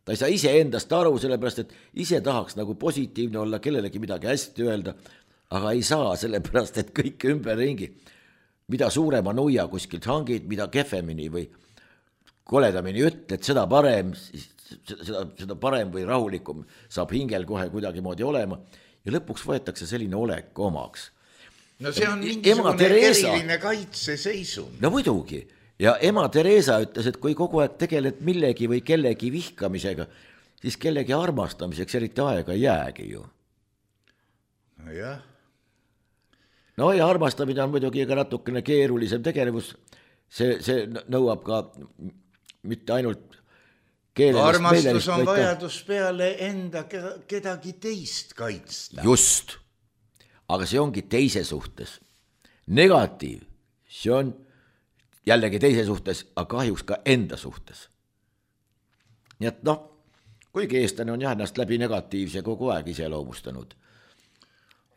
Ta ei saa iseendast aru, sellepärast, et ise tahaks nagu positiivne olla, kellelegi midagi hästi öelda, aga ei saa, sellepärast, et kõik ümberringi, mida suurema nuia kuskilt hangid, mida kehvemini või koledamini ütled, seda parem või rahulikum saab hingel kohe kuidagi moodi olema ja lõpuks võetakse selline olek omaks. No see on mingisugune eriline kaitseseisund. No muidugi. Ja ema Teresa ütles, et kui kogu aeg tegeled millegi või kellegi vihkamisega, siis kellegi armastamiseks eriti aega ei jäägi ju. Jah. No ja armastamine on muidugi ka natukene keerulisem tegevus. See nõuab ka mitte ainult keelelist armastus on vajadus peale enda kedagi teist kaitsta. Just. Aga see ongi teise suhtes. Negatiiv, see on jällegi teise suhtes, aga kahjuks ka enda suhtes. nii et noh, kuigi eestlane on jah ennast läbi negatiivse kogu aeg iseloomustanud.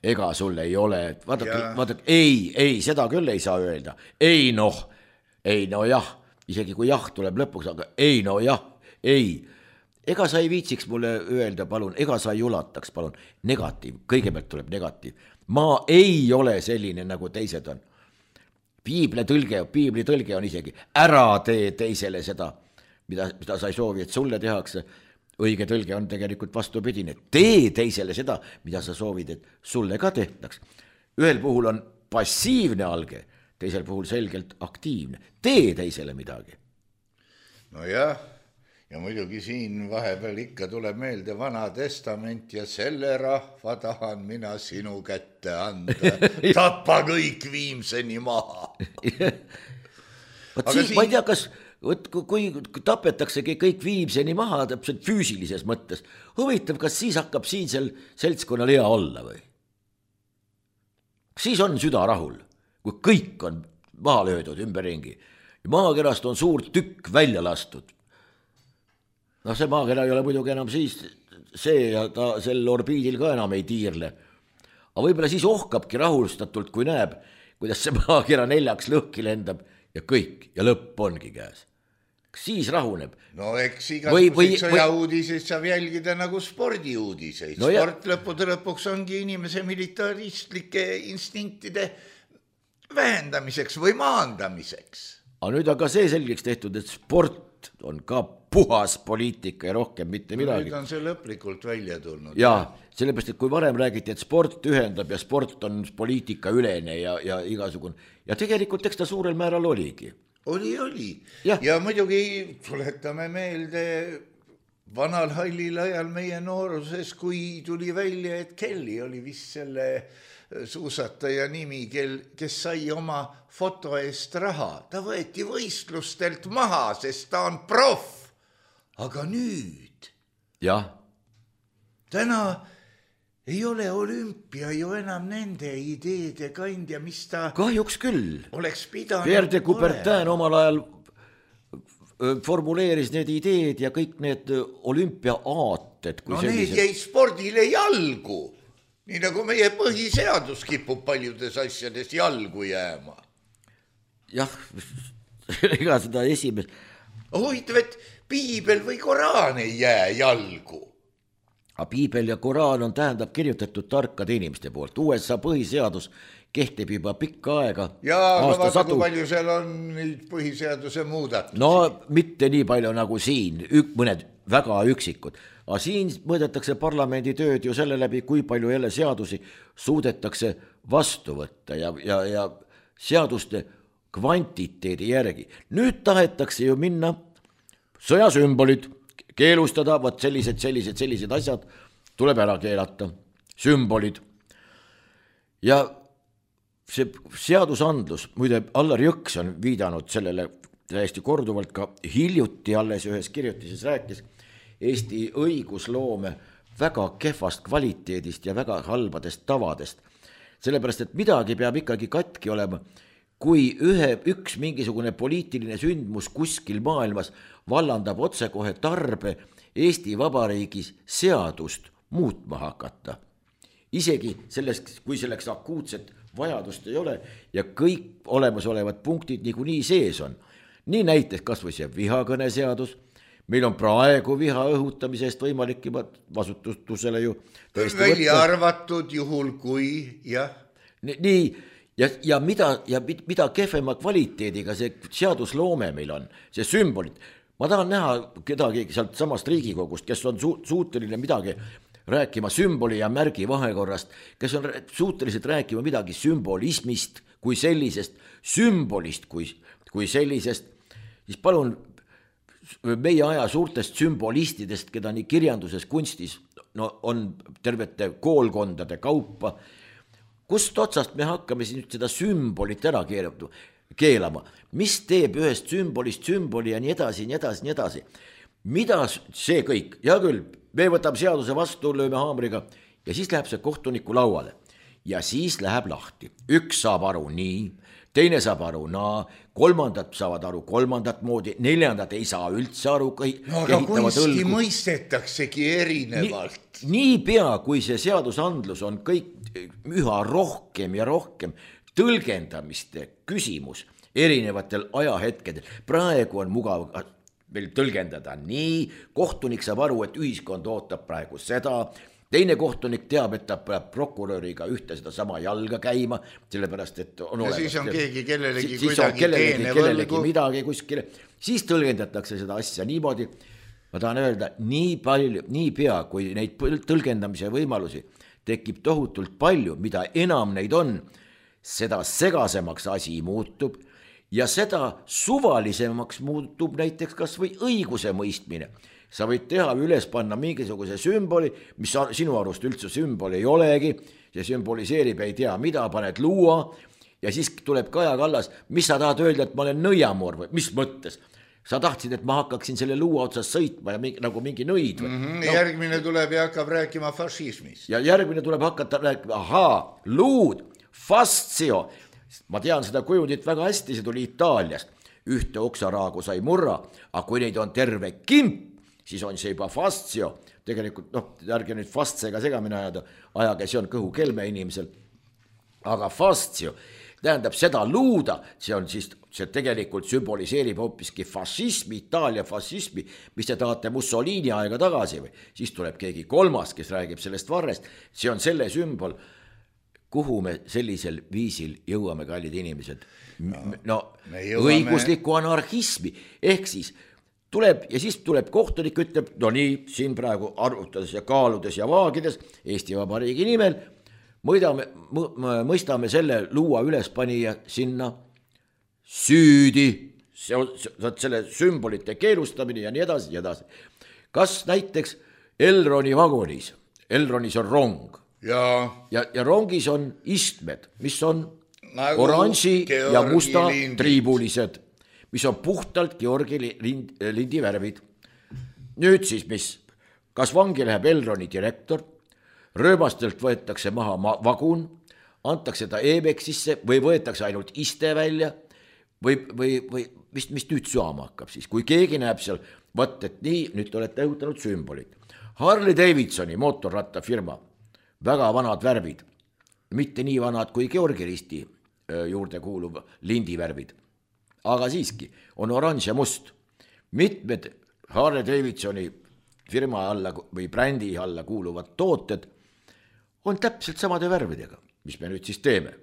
Ega sul ei ole, vaadake, ei, seda küll ei saa öelda. Ei no jah, isegi kui jah tuleb lõpuks, aga ei no jah, ei. Ega sa ei viitsiks mulle öelda, palun, ega sa ei ulataks, palun, negatiiv, kõigepealt tuleb negatiiv. Ma ei ole selline, nagu teised on. Piibli tõlge on isegi, ära tee teisele seda, mida sa ei soovi, et sulle tehakse. Õige tõlge on tegelikult vastupidine. Tee teisele seda, mida sa soovid, et sulle ka tehtaks. Ühel puhul on passiivne alge, teisel puhul selgelt aktiivne. Tee teisele midagi. No jah, ja muidugi siin vahepeal ikka tuleb meelde Vana Testament ja selle rahva tahan mina sinu kätte anda. Tappa kõik viimseni maha. Võt siis ma ei tea, kas kui tapetaksegi kõik viimseni maha täpselt füüsilises mõttes, huvitav, kas siis hakkab siinsel seltskonnal hea olla või? Siis on süda rahul, kui kõik on maha löödud ümberringi. Maakerast on suur tükk välja lastud. No see maakera ei ole muidugi enam siis see ja ta sel orbiidil ka enam ei tiirle. Aga võib-olla siis ohkabki rahustatult, kui näeb, kuidas see maakera 4 lõhki lendab ja kõik ja lõpp ongi käes. Siis rahuneb. No eks igasuguseid sõjauudiseid saab jälgida nagu spordiuudiseid. No sport lõpuks ongi inimese militaristlike instinktide vähendamiseks või maandamiseks. Aga nüüd on ka see selgeks tehtud, et sport on ka puhas poliitika ja rohkem mitte midagi. Nüüd on see lõplikult välja tulnud. Jaa, sellepärast, et kui varem räägiti, et sport ühendab ja sport on poliitika ülene ja igasugune. Ja tegelikult eks ta suurel määral oligi. Oli. Ja muidugi tuletame meelde vanal hallil ajal meie nooruses, kui tuli välja, et Kelly oli vist selle suusataja nimi, kes sai oma foto eest raha. Ta võeti võistlustelt maha, sest ta on proff. Aga nüüd, täna ei ole olümpia ju enam nende ideede kandja, mis ta kahjuks küll oleks pidanud. Pierre de Coubertin omal ajal formuleeris need ideed ja kõik need olümpia-aated. No need jäi spordile jalgu, nii nagu meie põhiseadus kipub paljudes asjades jalgu jääma. Jah, ega seda esimest. Huvitav, et piibel või koraan ei jää jalgu. Aga piibel ja koraan on tähendab kirjutatud tarkade inimeste poolt. USA põhiseadus kehtib juba pikka aega. Jaa, aga vaata, kui palju seal on põhiseaduse muudatusi. No mitte nii palju nagu siin, mõned väga üksikud. Aga siin mõõdetakse parlamendi tööd ju selle läbi, kui palju jälle seadusi suudetakse vastu võtta ja seaduste kvantiteedi järgi. Nüüd tahetakse ju minna sõjasümbolid, keelustada, võt sellised asjad tuleb ära keelata, sümbolid. Ja see seadusandlus, muide Allar Jõks on viidanud sellele täiesti korduvalt ka hiljuti alles ühes kirjutises rääkis Eesti õigusloome väga kehvast kvaliteedist ja väga halbadest tavadest. Sellepärast, et midagi peab ikkagi katki olema, kui üks mingisugune poliitiline sündmus kuskil maailmas vallandab otsekohe tarbe Eesti Vabariigis seadust muutma hakata. Isegi sellest, kui selleks akuutset vajadust ei ole ja kõik olemasolevad punktid niikuinii sees on. Nii näiteks kas või see vihakõne seadus. Meil on praegu viha õhutamise eest võimalik juba vasutusele ju välja arvatud juhul kui, jah. Nii, ja mida kehvema kvaliteediga see seadusloome meil on, see sümbolid. Ma tahan näha kedagi sealt samast Riigikogust, kes on suuteline midagi rääkima sümboli ja märgi vahekorrast, kes on suutelised rääkima midagi sümbolismist kui sellisest, sümbolist kui sellisest, siis palun meie aja suurtest sümbolistidest, keda nii kirjanduses, kunstis on tervete koolkondade kaupa, kust otsast me hakkame siin nüüd seda sümbolit ära keelama, mis teeb ühest sümbolist sümboli ja nii edasi. Mida see kõik? Ja küll, me võtame seaduse vastu, lööme haamriga ja siis läheb see kohtuniku lauale ja siis läheb lahti. Üks saab aru nii, teine saab aru, kolmandad saavad aru kolmandat moodi, neljandad ei saa üldse aru. No aga kunsti mõistetaksegi erinevalt. Niipea, kui see seadusandlus on kõik üha rohkem ja rohkem tõlgendamiste küsimus erinevatel ajahetkedel. Praegu on mugav veel tõlgendada nii, kohtunik saab aru, et ühiskond ootab praegu seda, teine kohtunik teab, et ta peab prokuröriga ühte seda sama jalga käima, sellepärast, et on olemas. Ja siis on keegi kellelegi kuidagi teene võlgu. Midagi kuskile, siis tõlgendatakse seda asja niimoodi. Ma tahan öelda, nii pea, kui neid tõlgendamise võimalusi tekib tohutult palju, mida enam neid on, seda segasemaks asi muutub ja seda suvalisemaks muutub näiteks kas või õiguse mõistmine. Sa võid teha üles panna mingisuguse sümboli, mis sinu arust üldse sümbol ei olegi, see sümboliseerib ei tea mida, paned luua ja siis tuleb Kaja Kallas, mis sa tahad öelda, et ma olen nõiamoor või mis mõttes? Sa tahtsid, et ma hakkaksin selle luua otsas sõitma ja nagu mingi nõid või? Järgmine tuleb ja hakkab rääkima fašismist. Ja järgmine tuleb hakata rääkima, luud, fastsio. Ma tean seda kujundit väga hästi, see tuli Itaaliast. Ühte oksaraagu sai murra, aga kui neid on terve kimp, siis on see juba fastsio. Tegelikult, ärge nüüd fastsega segamine ajage, see on kõhukelme inimesel. Aga fastsio tähendab seda luuda, see tegelikult sümboliseerib hoopiski fašismi, Itaalia fašismi, mis te tahate Mussolini aega tagasi või. Siis tuleb keegi kolmas, kes räägib sellest varrest. See on selle sümbol, kuhu me sellisel viisil jõuame, kallid inimesed. Õigusliku anarhismi, ehk siis tuleb ja siis tuleb kohtunik, ütleb, no nii, siin praegu arvutades ja kaaludes ja vaagides Eesti Vabariigi nimel, mõistame selle luua ülespanija sinna süüdi, selle sümbolite keelustamine ja nii edasi ja edasi. Kas näiteks Elroni vagonis, Elronis on rong ja rongis on istmed, mis on nagu oranži Georgi ja musta lindid. Triibulised, mis on puhtalt Georgi lindi värvid. Nüüd siis mis? Kas vangi läheb Elroni direktor, rööbastelt võetakse maha vagun, antakse ta EBEX-isse või võetakse ainult iste välja või mis nüüd saama hakkab siis, kui keegi näeb seal, võt, et nii, nüüd olete õhutanud sümbolid. Harley Davidsoni mootorrattafirma, väga vanad värvid, mitte nii vanad kui Georgi risti juurde kuuluv lindi värvid. Aga siiski on oranž ja must. Mitmed Harley Davidsoni firma alla või brändi alla kuuluvad tooted on täpselt samade värvidega. Mis me nüüd siis teeme?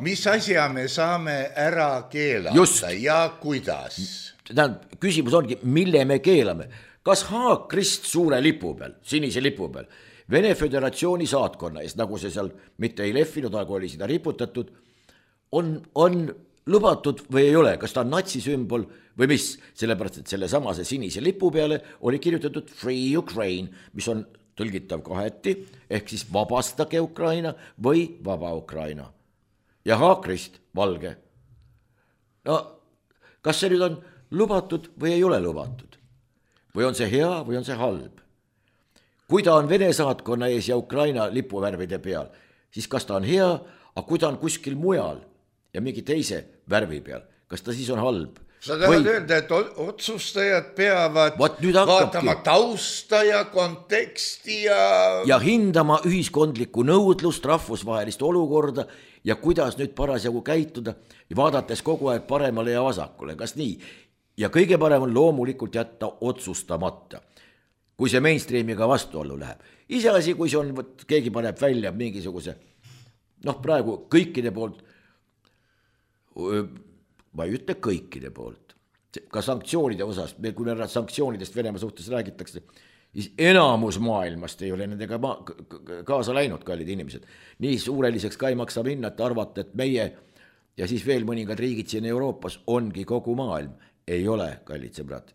Mis asja me saame ära keelata ja kuidas? Küsimus ongi, mille me keelame. Kas haakrist suure lipu peal, sinise lipu peal, Vene Föderatsiooni saatkonna eest, nagu see seal mitte ei lehvinud, aga oli seda riputatud, on lubatud või ei ole, kas ta on natsisümbol või mis, sellepärast, et selle samase sinise lipu peale oli kirjutatud Free Ukraine, mis on tõlgitav kaheti, ehk siis vabastage Ukraina või vaba Ukraina. Ja haakrist valge. Kas see nüüd on lubatud või ei ole lubatud? Või on see hea või on see halb? Kui ta on Vene saatkonna ees ja Ukraina lipuvärvide peal, siis kas ta on hea, aga kui ta on kuskil mujal ja mingi teise värvi peal, kas ta siis on halb? Sa tahad öelda, et otsustajad peavad vaatama tausta ja konteksti ja hindama ühiskondlikku nõudlust, rahvusvahelist olukorda ja kuidas nüüd parasjagu käituda ja vaadates kogu aeg paremale ja vasakule, kas nii? Ja kõige parem on loomulikult jätta otsustamata, kui see mainstreamiga vastuollu läheb. Iseasi, kui see on, keegi paneb välja mingisuguse, praegu kõikide poolt, ma ei ütle kõikide poolt, ka sanktsioonide osas, kui me sanktsioonidest Venemaa suhtes räägitakse, siis enamus maailmast ei ole nendega kaasa läinud, kallid inimesed. Nii suureliseks ka ei maksa minna, et arvata, et meie ja siis veel mõningad riigid siin Euroopas ongi kogu maailm. Ei ole, kallid sõbrad.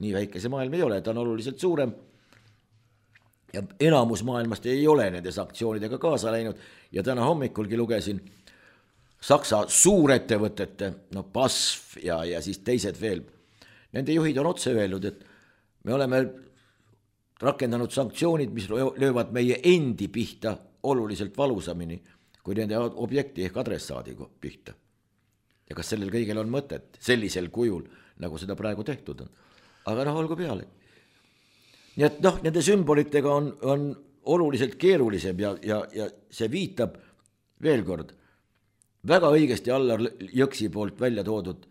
Nii väike see maailm ei ole, ta on oluliselt suurem. Ja enamus maailmast ei ole nende sanktsioonidega kaasa läinud ja täna hommikulgi lugesin Saksa suurettevõtete, BASF ja siis teised veel. Nende juhid on otse öelnud, et me oleme rakendanud sanktsioonid, mis löövad meie endi pihta oluliselt valusamini kui nende objekti ehk adressaadi pihta. Ja kas sellel kõigil on mõtet sellisel kujul, nagu seda praegu tehtud on. Aga olgu peale. Nii et nende sümbolitega on oluliselt keerulisem ja see viitab veel kord väga õigesti Allar Jõksi poolt välja toodud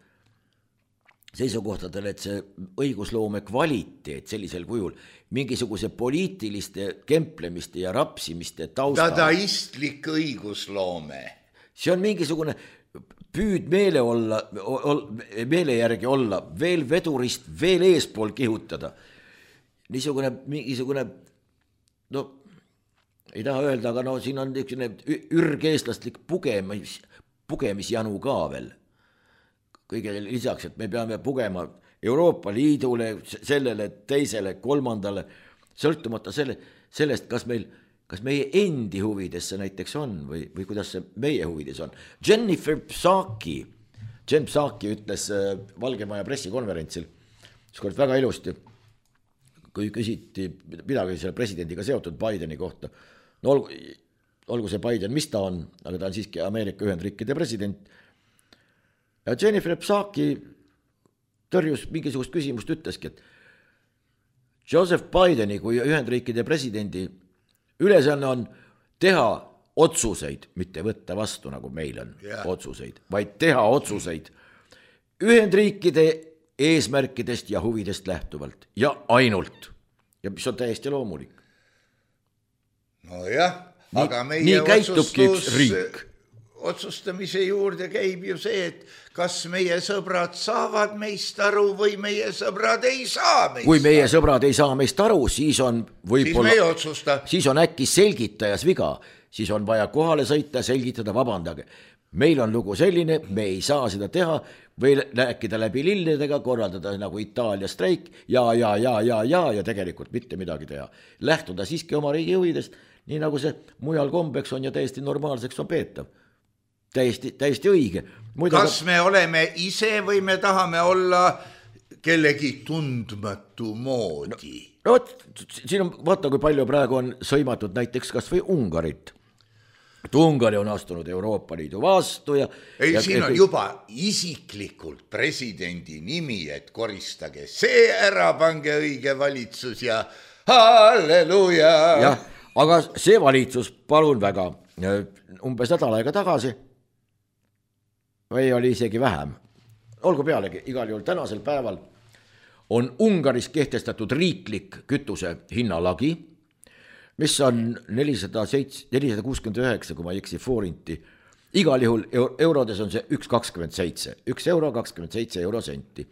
seisukohtadele, et see õigusloome kvaliteet sellisel kujul mingisuguse poliitiliste kemplemiste ja rapsimiste taustal. Dadaistlik õigusloome. See on mingisugune püüd meele järgi olla, veel vedurist, veel eespool kihutada. Mingisugune, ei taha öelda, aga siin on ürgeestlaslik pugemisjanu ka veel. Kõige lisaks, et me peame pugema Euroopa Liidule, sellele, teisele, kolmandale, sõltumata sellest, kas meie endi huvides see näiteks on või kuidas see meie huvides on. Jen Psaki ütles Valgemaja pressikonverentsil, skord väga ilusti, kui küsiti midagi selle presidendiga seotud Bideni kohta. Olgu see Biden, mis ta on, aga ta on siiski Ameerika Ühendriikide president. Ja Jennifer Psaki tõrjus mingisugust küsimust, ütleski, et Joseph Bideni kui Ühendriikide presidendi ülesanne on teha otsuseid, mitte võtta vastu, nagu meil on otsuseid, vaid teha otsuseid Ühendriikide eesmärkidest ja huvidest lähtuvalt ja ainult. Ja mis on täiesti loomulik. Nojah, aga meie otsustamise juurde käib ju see, et kas meie sõbrad saavad meist aru või meie sõbrad ei saa meist aru. Kui meie sõbrad ei saa meist aru, siis on võib-olla, siis on äkki selgitajas viga, siis on vaja kohale sõita, selgitada, vabandage. Meil on lugu selline, me ei saa seda teha või rääkida läbi lilledega, korraldada nagu Itaalia streik ja tegelikult mitte midagi teha. Lähtuda siiski oma riigi huvidest, nii nagu see mujal kombeks on ja täiesti normaalseks on peetav. Täiesti õige. Kas me oleme ise või me tahame olla kellegi tundmatu moodi? Siin on, vaata kui palju praegu on sõimatud näiteks kas või Ungarit. Ungari on astunud Euroopa Liidu vastu siin on juba isiklikult presidendi nimi, et koristage see ära, pange õige valitsus ja halleluja. Jah, aga see valitsus, palun väga, umbes nädal aega tagasi või oli isegi vähem. Olgu pealegi, igal juhul tänasel päeval on Ungaris kehtestatud riiklik kütuse hinnalagi, mis on 469, kui ma ei eksi, forinti. Igal juhul eurodes on see 1,27, 1 euro 27 eurosenti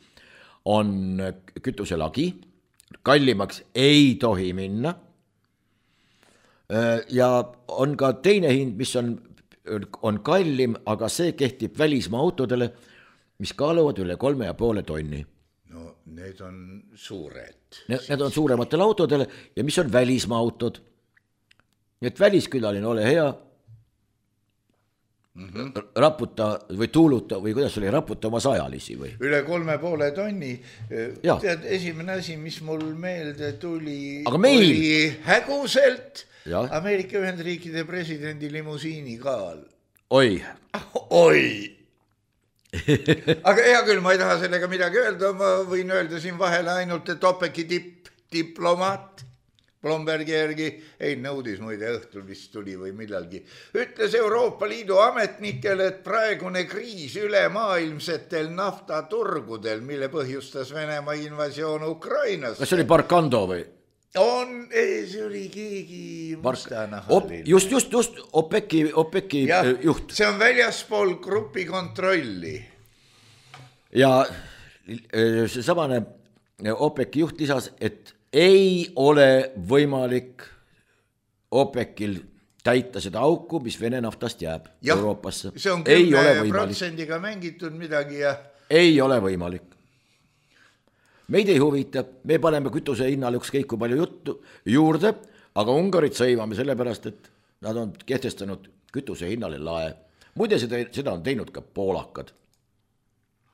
on kütuse lagi, kallimaks ei tohi minna. Ja on ka teine hind, mis on kallim, aga see kehtib välismaa autodele, mis kaaluvad üle 3,5 tonni. No need on suured. Need on suurematele autodele ja mis on välismaa autod. Nii et väliskülaline, ole hea, raputa või tuuluta või kuidas oli, raputa oma sajalisi või? Üle 3,5 tonni. Tead, esimene asi, mis mul meelde tuli, oli häguselt Ameerika Ühendriikide presidendi limusiini kaal. Oi. Aga hea küll, ma ei taha sellega midagi öelda, ma võin öelda siin vahele ainult, et OPEC-i diplomaat Blombergi järgi, nõudis muide õhtul vist tuli või millalgi, ütles Euroopa Liidu ametnikele, et praegune kriis ülemaailmsetel naftaturgudel, mille põhjustas Venemaa invasioon Ukrainas. Kas see oli Barkando või? See oli keegi mustanahaline. Just, OPEC-i juht. See on väljaspool grupi kontrolli. Ja see samane OPEC-i juht lisas, et ei ole võimalik OPEC-il täita seda auku, mis Vene naftast jääb Euroopasse. See on 10% mängitud midagi ja... Ei ole võimalik. Meid ei huvita, me paneme kütuse hinnale ükskõik kui palju juttu juurde, aga Ungarit sõimame sellepärast, et nad on kehtestanud kütuse hinnale lae. Muide, seda on teinud ka poolakad.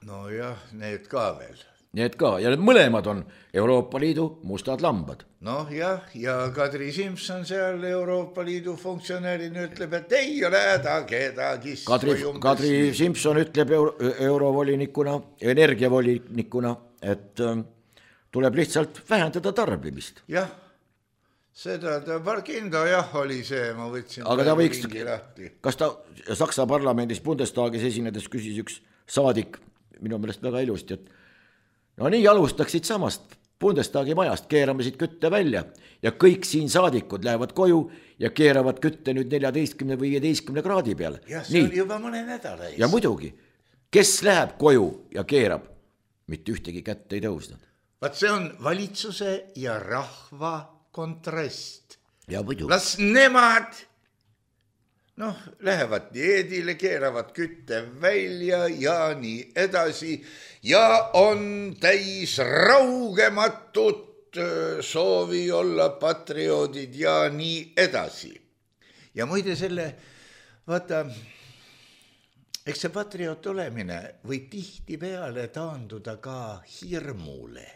No jah, need ka veel. Need ka, ja need mõlemad on Euroopa Liidu mustad lambad. Noh jah, ja Kadri Simson seal Euroopa Liidu funktsionäärina ütleb, et ei ole häda kedagi. Kadri Simson ütleb eurovolinikuna, energiavolinikuna, et tuleb lihtsalt vähendada tarbimist. Jah, seda Barkindo jah oli see, ma võtsin. Aga ta võiks, kas ta Saksa parlamendis Bundestagis esinedes küsis üks saadik, minu meelest väga ilusti, et no nii alustaksid samast Bundestagi majast, keerame siit kütte välja ja kõik siin saadikud lähevad koju ja keeravad kütte nüüd 14 või 15 kraadi peale. Jah, see oli juba mõne nädala ees. Ja muidugi, kes läheb koju ja keerab, mitte ühtegi kätt ei tõusnud. Vaat see on valitsuse ja rahva kontrast. Ja muidugi. Las nemad lähevad dieedile, keeravad kütte välja ja nii edasi ja on täis raugematut soovi olla patrioodid ja nii edasi. Ja muide selle, vaata, eks see patrioot olemine võib tihti peale taanduda ka hirmule.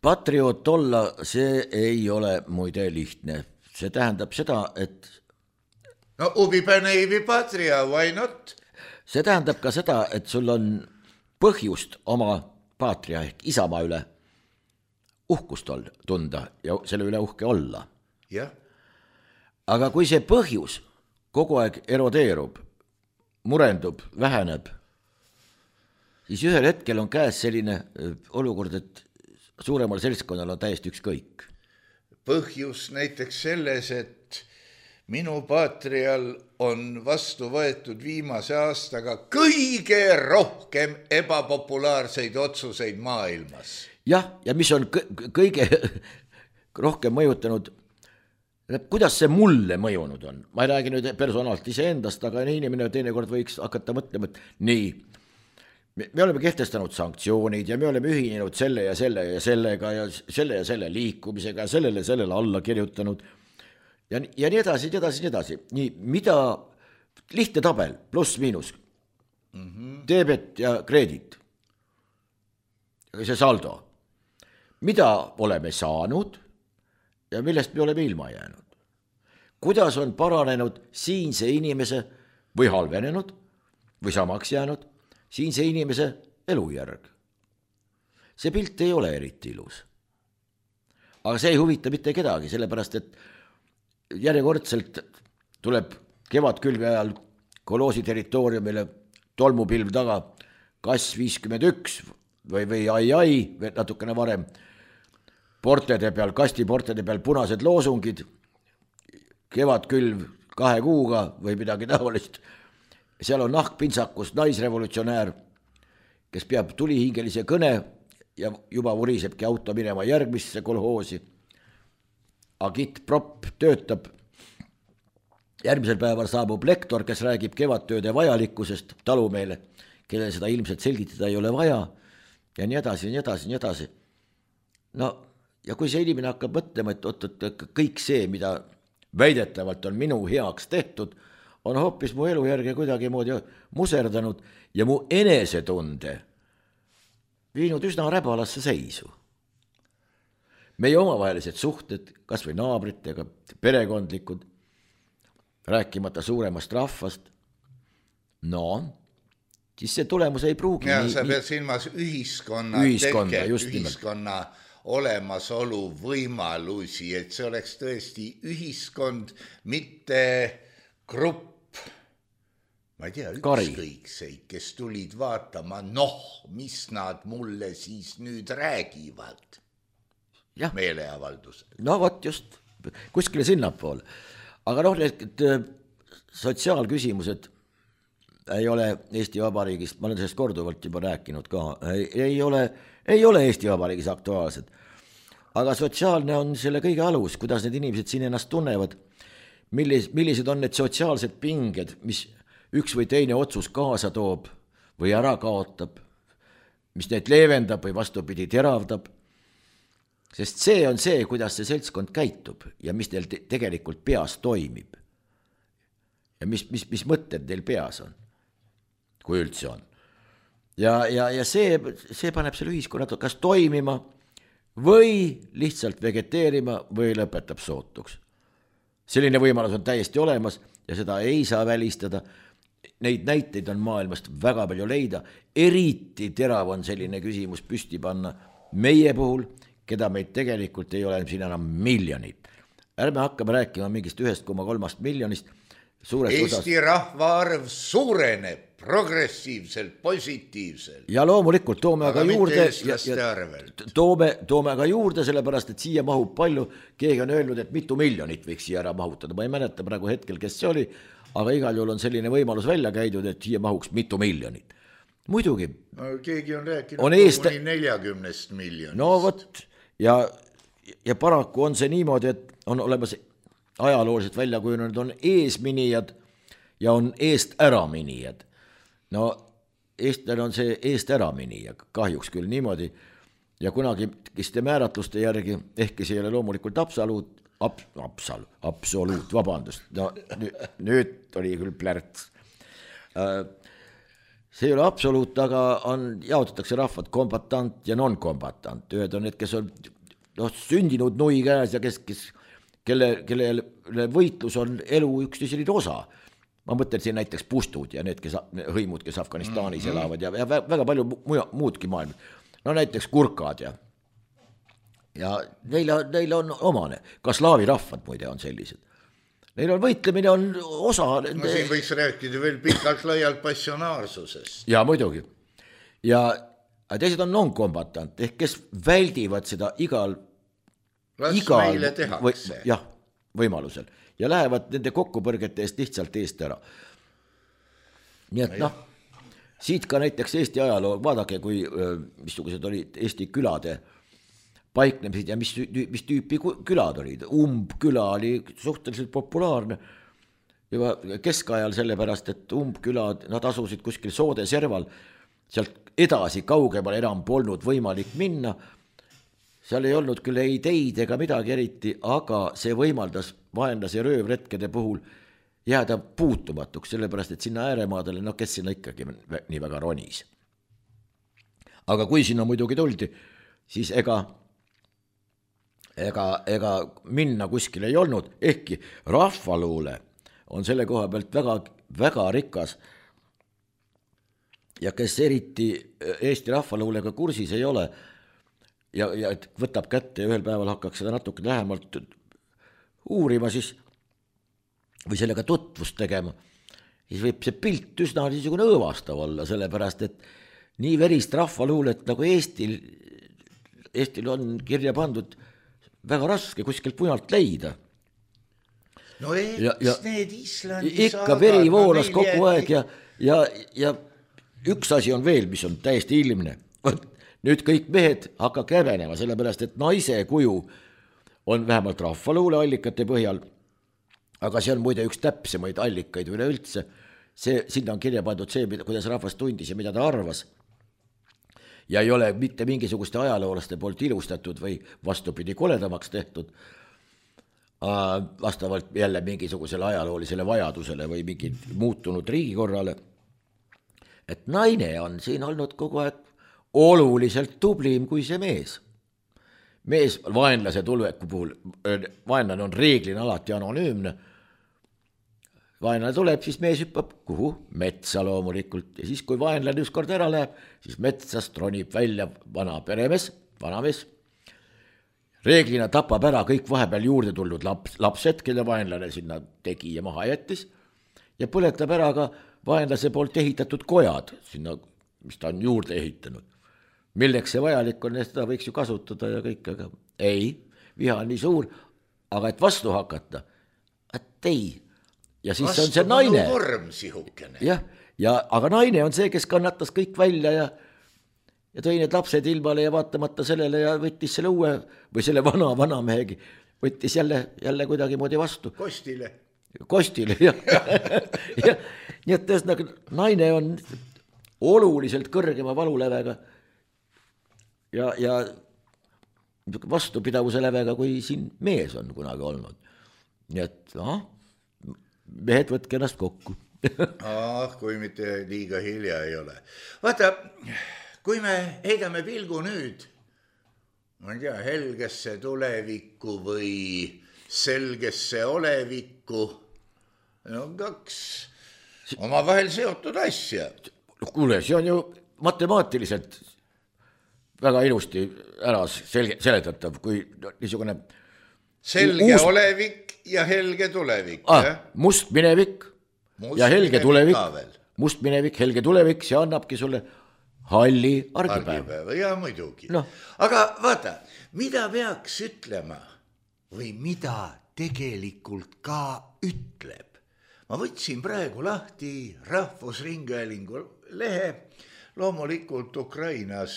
Patrioot olla, see ei ole muide lihtne. See tähendab seda, et no ubipänevi patria, why not? See tähendab ka seda, et sul on põhjust oma patria ehk isamaa üle uhkust tunda ja selle üle uhke olla. Jah. Aga kui see põhjus kogu aeg erodeerub, murendub, väheneb, siis ühel hetkel on käes selline olukord, et suuremal seltskonnal on täiesti ükskõik. Põhjus näiteks selles, et minu patrial on vastu võetud viimase aastaga kõige rohkem ebapopulaarseid otsuseid maailmas. Jah, ja mis on kõige rohkem mõjutanud, kuidas see mulle mõjunud on. Ma ei räägi nüüd personaalselt iseendast, aga inimene teinekord võiks hakata mõtlema, et nii, me oleme kehtestanud sanktsioonid ja me oleme ühinenud selle ja sellega ja selle liikumisega ja sellele alla kirjutanud. Ja nii edasi. Nii, mida lihtne tabel, pluss miinus, debet ja kreedit, see saldo, mida oleme saanud ja millest me oleme ilma jäänud. Kuidas on paranenud siinse inimese või halvenenud või samaks jäänud siinse inimese elujärg. See pilt ei ole eriti ilus. Aga see ei huvita mitte kedagi, sellepärast et järjekordselt tuleb kevadkülvi ajal Koloosi territooriumile tolmupilv taga Kass 51 või ai, natukene varem, kastiportede peal punased loosungid, kevadkülv 2 kuuga või midagi taolist. Seal on nahkpintsakus naisrevolutsionäär, kes peab tulihingelise kõne ja juba vurisebki auto minema järgmisse kolhoosi. Agitprop töötab. Järgmisel päeval saabub lektor, kes räägib kevadtööde vajalikkusest talumeele, kellel seda ilmselt selgitada ei ole vaja ja nii edasi. No, ja kui see inimene hakkab mõtlema, et kõik see, mida väidetavalt on minu heaks tehtud, on hoopis mu elujärge kuidagi moodi muserdanud ja mu enesetunde viinud üsna räbalasse seisu. Meie omavahelised suhted, kas või naabritega, perekondlikud, rääkimata suuremast rahvast, no, siis see tulemus ei pruugi. Ja sa pead silmas ühiskonna olemasolu võimalusi, et see oleks tõesti ühiskond, mitte grupp, ma ei tea, ükskõikseid, kes tulid vaatama, mis nad mulle siis nüüd räägivad. Meeleavaldus. No vot just, kuskile sinnapoole. Aga et sotsiaalküsimused ei ole Eesti Vabariigist, ma olen sellest korduvalt juba rääkinud ka, ei ole Eesti Vabariigis aktuaalsed. Aga sotsiaalne on selle kõige alus, kuidas need inimesed siin ennast tunnevad, millised on need sotsiaalsed pinged, mis üks või teine otsus kaasa toob või ära kaotab, mis neid leevendab või vastupidi teravdab. Sest see on see, kuidas see seltskond käitub ja mis teil tegelikult peas toimib. Ja mis mõtted teil peas on, kui üldse on. ja see paneb selle ühiskonna kas toimima või lihtsalt vegeteerima või lõpetab sootuks. Selline võimalus on täiesti olemas ja seda ei saa välistada. Neid näiteid on maailmast väga palju leida, eriti terav on selline küsimus püsti panna meie puhul, keda meid tegelikult ei ole siin enam miljonit. Ärme hakkame rääkima mingist 1,3 miljonist. Eesti rahvaarv suureneb progressiivselt, positiivselt. Ja loomulikult toome aga juurde, toome aga juurde, sellepärast, et siia mahub palju. Keegi on öelnud, et mitu miljonit võiks siia ära mahutada. Ma ei mäleta praegu hetkel, kes see oli, aga igal juhul on selline võimalus välja käidud, et siia mahuks mitu miljonit. Muidugi. No, keegi on rääkinud kuni 40 miljonist. No vot, ja paraku on see niimoodi, et on olemas ajalooliselt välja kujunenud, on eesminijad ja on eest äraminijad. No eestlane on see eest äraminija, kahjuks küll niimoodi. Ja kunagi kiste määratluste järgi, ehkki see ei ole loomulikult absoluut, vabandust. No nüüd oli küll plärts. See ei ole absoluut, aga jaotatakse rahvad kombatant ja non-kombatant. Ühed on need, kes on sündinud nui käes ja kelle võitlus on elu üks selline osa. Ma mõtlen siin näiteks pustud ja need hõimud, kes Afganistanis elavad ja väga palju muudki maailma. No näiteks kurkad ja neil on omane. Ka slaavi rahvad muide on sellised. Neil on võitlemine on osa. No siin võiks rääkida veel pikalt laialt passionaarsusest. Ja muidugi. Ja teised on non-kombatant, ehk kes väldivad seda igal meile tehakse. Jah, võimalusel. Ja lähevad nende kokkupõrgete eest lihtsalt eest ära. Nii et siit ka näiteks Eesti ajaloo, vaadake, kui missugused olid Eesti külade paiknemised ja mis tüüpi külad olid. Umbküla oli suhteliselt populaarne juba keskajal sellepärast, et umbkülad, nad asusid kuskil soode serval, sealt edasi kaugemal enam polnud võimalik minna. Seal ei olnud küll ei teid ega midagi eriti, aga see võimaldas vaenlase röövretkede puhul jääda puutumatuks, sellepärast, et sinna ääremaadele, kes sinna ikkagi nii väga ronis. Aga kui sinna muidugi tuldi, siis ega minna kuskil ei olnud, ehkki rahvaluule on selle koha pealt väga, väga rikas ja kes eriti Eesti rahvaluulega kursis ei ole, ja võtab kätte ja ühel päeval hakkaks seda natuke lähemalt uurima siis, või sellega tutvust tegema, siis võib see pilt üsna niisugune õõvastav olla, sellepärast, et nii verist rahvaluulet nagu Eestil on kirja pandud väga raske kuskilt mujalt leida. No need Islandi ikka veri voolas kogu aeg ja üks asi on veel, mis on täiesti ilmne. Nüüd kõik mehed hakkab kävenema, sellepärast, et naise kuju on vähemalt rahvaluule allikate põhjal, aga see on muide üks täpsemaid allikaid üleüldse. Sinna on kirja pandud see, kuidas rahvas tundis ja mida ta arvas. Ja ei ole mitte mingisuguste ajaloolaste poolt ilustatud või vastupidi koledamaks tehtud, vastavalt jälle mingisugusele ajaloolisele vajadusele või mingi muutunud riigikorrale. Et naine on siin olnud kogu aeg oluliselt tublim kui see mees. Mees vaenlase tulveku puhul, vaenlane on reeglina alati anonüümne. Vaenlane tuleb, siis mees hüppab kuhu? Metsa loomulikult. Ja siis, kui vaenlane ükskord ära läheb, siis metsast ronib välja vanamees. Reeglina tapab ära kõik vahepeal juurde tulnud lapsed, kelle vaenlane sinna tegi ja maha jättis. Ja põletab ära ka vaenlase poolt ehitatud kojad, sinna, mis ta on juurde ehitanud. Milleks see vajalik on, seda võiks ju kasutada ja kõik, aga ei, viha on nii suur, aga et vastu hakata, et ei. Ja siis on see naine. Vorm sihukene. Ja, aga naine on see, kes kannatas kõik välja ja tõi need lapsed ilmale ja vaatamata sellele ja võttis selle uue või selle vanamehegi, võttis jälle kuidagi moodi vastu. Kostile, jah. Nii et tõesti, naine on oluliselt kõrgema valulävega ja vastupidavuse lävega, kui siin mees on kunagi olnud. Nii et mehed võtke ennast kokku. kui mitte liiga hilja ei ole. Vaata, kui me heidame pilgu nüüd, ma ei tea, helgesse tulevikku või selgesse olevikku, no kaks omavahel seotud asja. Kuule, see on ju matemaatiliselt väga ilusti ära seletatav, kui niisugune selge olevik ja helge tulevik. Must minevik ja helge tulevik. Must minevik, helge tulevik, see annabki sulle halli argipäeva. Ja muidugi. No. Aga vaata, mida peaks ütlema või mida tegelikult ka ütleb? Ma võtsin praegu lahti Rahvusringhäälingu lehe. Loomulikult Ukrainas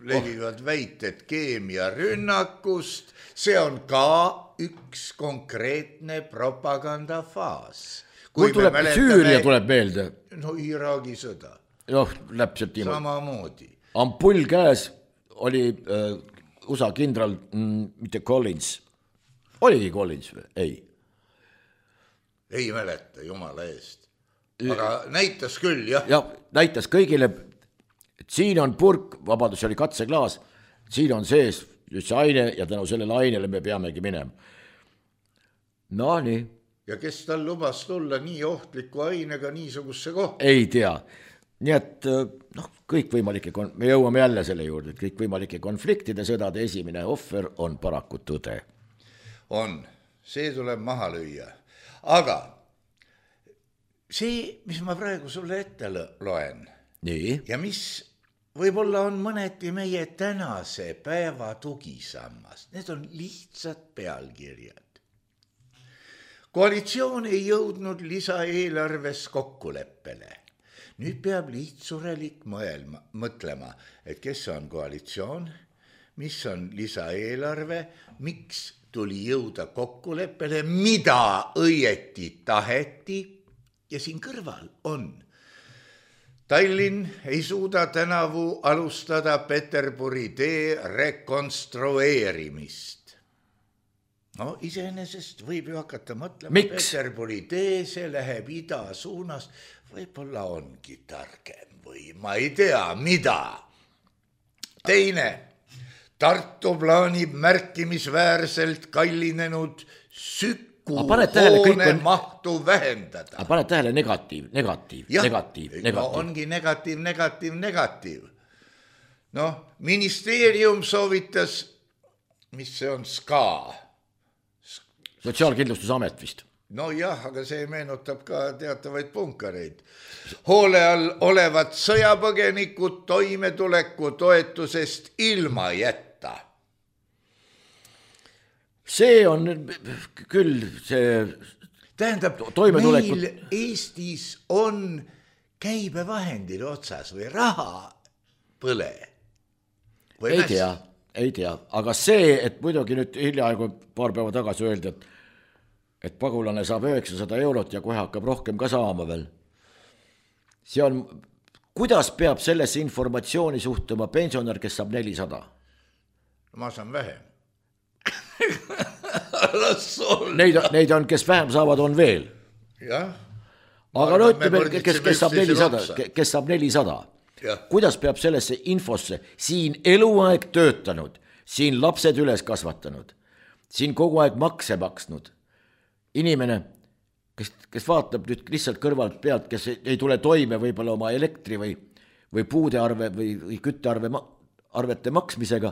levivad väited keemiarünnakust. See on ka üks konkreetne propagandafaas. Mul tuleb Süüria tuleb meelde. No Iraagi sõda. Läpselt niimoodi. Samamoodi. Ampull käes oli USA kindral, mitte Collins. Oligi Collins või? Ei. Ei mäleta, jumala eest. Aga näitas küll, jah. Ja näitas kõigile, et siin on purk, vabandus, oli katseklaas, siin on sees just see aine ja tänu sellele ainele me peamegi minema. No nii. Ja kes tal lubas tulla nii ohtliku ainega niisugusse kohta? Ei tea. Nii et kõikvõimalike, me jõuame jälle selle juurde, et kõikvõimalike konfliktide sõdade esimene ohver on paraku tõde. On, see tuleb maha lüüa. Aga see, mis ma praegu sulle ette loen nii. Ja mis võib-olla on mõneti meie tänase päeva tugisammas, need on lihtsad pealkirjad. Koalitsioon ei jõudnud lisaeelarves kokkuleppele. Nüüd peab lihtsurelik mõtlema, et kes on koalitsioon, mis on lisaeelarve, miks tuli jõuda kokkuleppele, mida õieti taheti. Ja siin kõrval on. Tallinn ei suuda tänavu alustada Peterburi tee rekonstrueerimist. No iseenesest võib ju hakata mõtlema. Miks? Peterburi tee, see läheb ida suunas. Võib-olla ongi targem või ma ei tea, mida. Teine. Tartu plaanib märkimisväärselt kallinenud hoone mahtu vähendada. Paned tähele negatiiv. No ongi negatiiv. No, ministeerium soovitas, mis see on, SKA. Sotsiaalkindlustusamet vist. No jah, aga see meenutab ka teatavaid punkareid. Hoole all olevad sõjapõgenikud toimetuleku toetusest ilma jätta. See on küll see tähendab, toimetulekut. Meil Eestis on käibevahendil otsas või raha põle. Ei tea, aga see, et muidugi nüüd hiljaaegu paar päeva tagasi öeldi, et pagulane saab 900 eurot ja kohe hakkab rohkem ka saama veel. See on, kuidas peab sellesse informatsiooni suhtuma pensionär, kes saab 400? Ma saan vähem. Neid on, kes vähem saavad, on veel. Jah. Aga no ütleme, kes saab 400. Kuidas peab sellesse infosse siin eluaeg töötanud, siin lapsed üles kasvatanud, siin kogu aeg makse maksnud inimene, kes vaatab nüüd lihtsalt kõrvalt pealt, kes ei tule toime võib-olla oma elektri või puudearve või küttearvete maksmisega,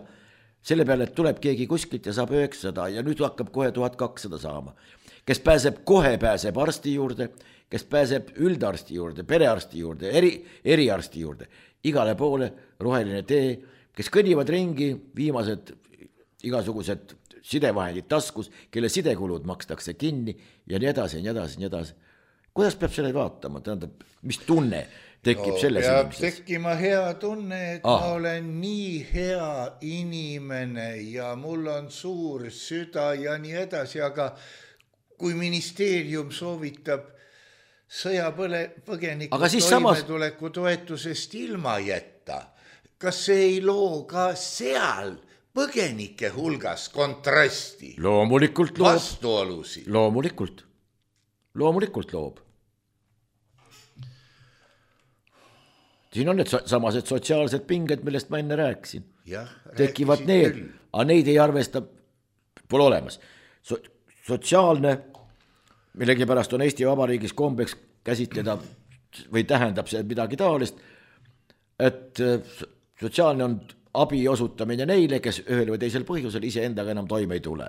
selle peale, et tuleb keegi kuskilt ja saab 900 ja nüüd hakkab kohe 1200 saama. Kes kohe pääseb arsti juurde, kes pääseb üldarsti juurde, perearsti juurde, eriarsti juurde, igale poole roheline tee, kes kõnnivad ringi, viimased igasugused sidevahendid taskus, kelle sidekulud makstakse kinni ja nii edasi. Kuidas peab selle vaatama? Tähendab, mis tunne tekib selles inimestes? Peab tekkima hea tunne, et ma olen nii hea inimene ja mul on suur süda ja nii edasi, aga kui ministeerium soovitab sõjapõgeniku toimetuleku toetusest ilma jätta, kas see ei loo ka seal põgenike hulgas kontrasti? Loomulikult loob. Vastuolusid? Loomulikult loob. siin on need samased sotsiaalsed pinged, millest ma enne rääkisin. Tekivad rääkisid need, küll. aga neid ei arvesta, pole olemas. Sotsiaalne, millegipärast on Eesti Vabariigis kombeks käsitleda või tähendab see midagi taolist, et sotsiaalne on abi osutamine neile, kes ühel või teisel põhjusel iseendaga enam toime ei tule.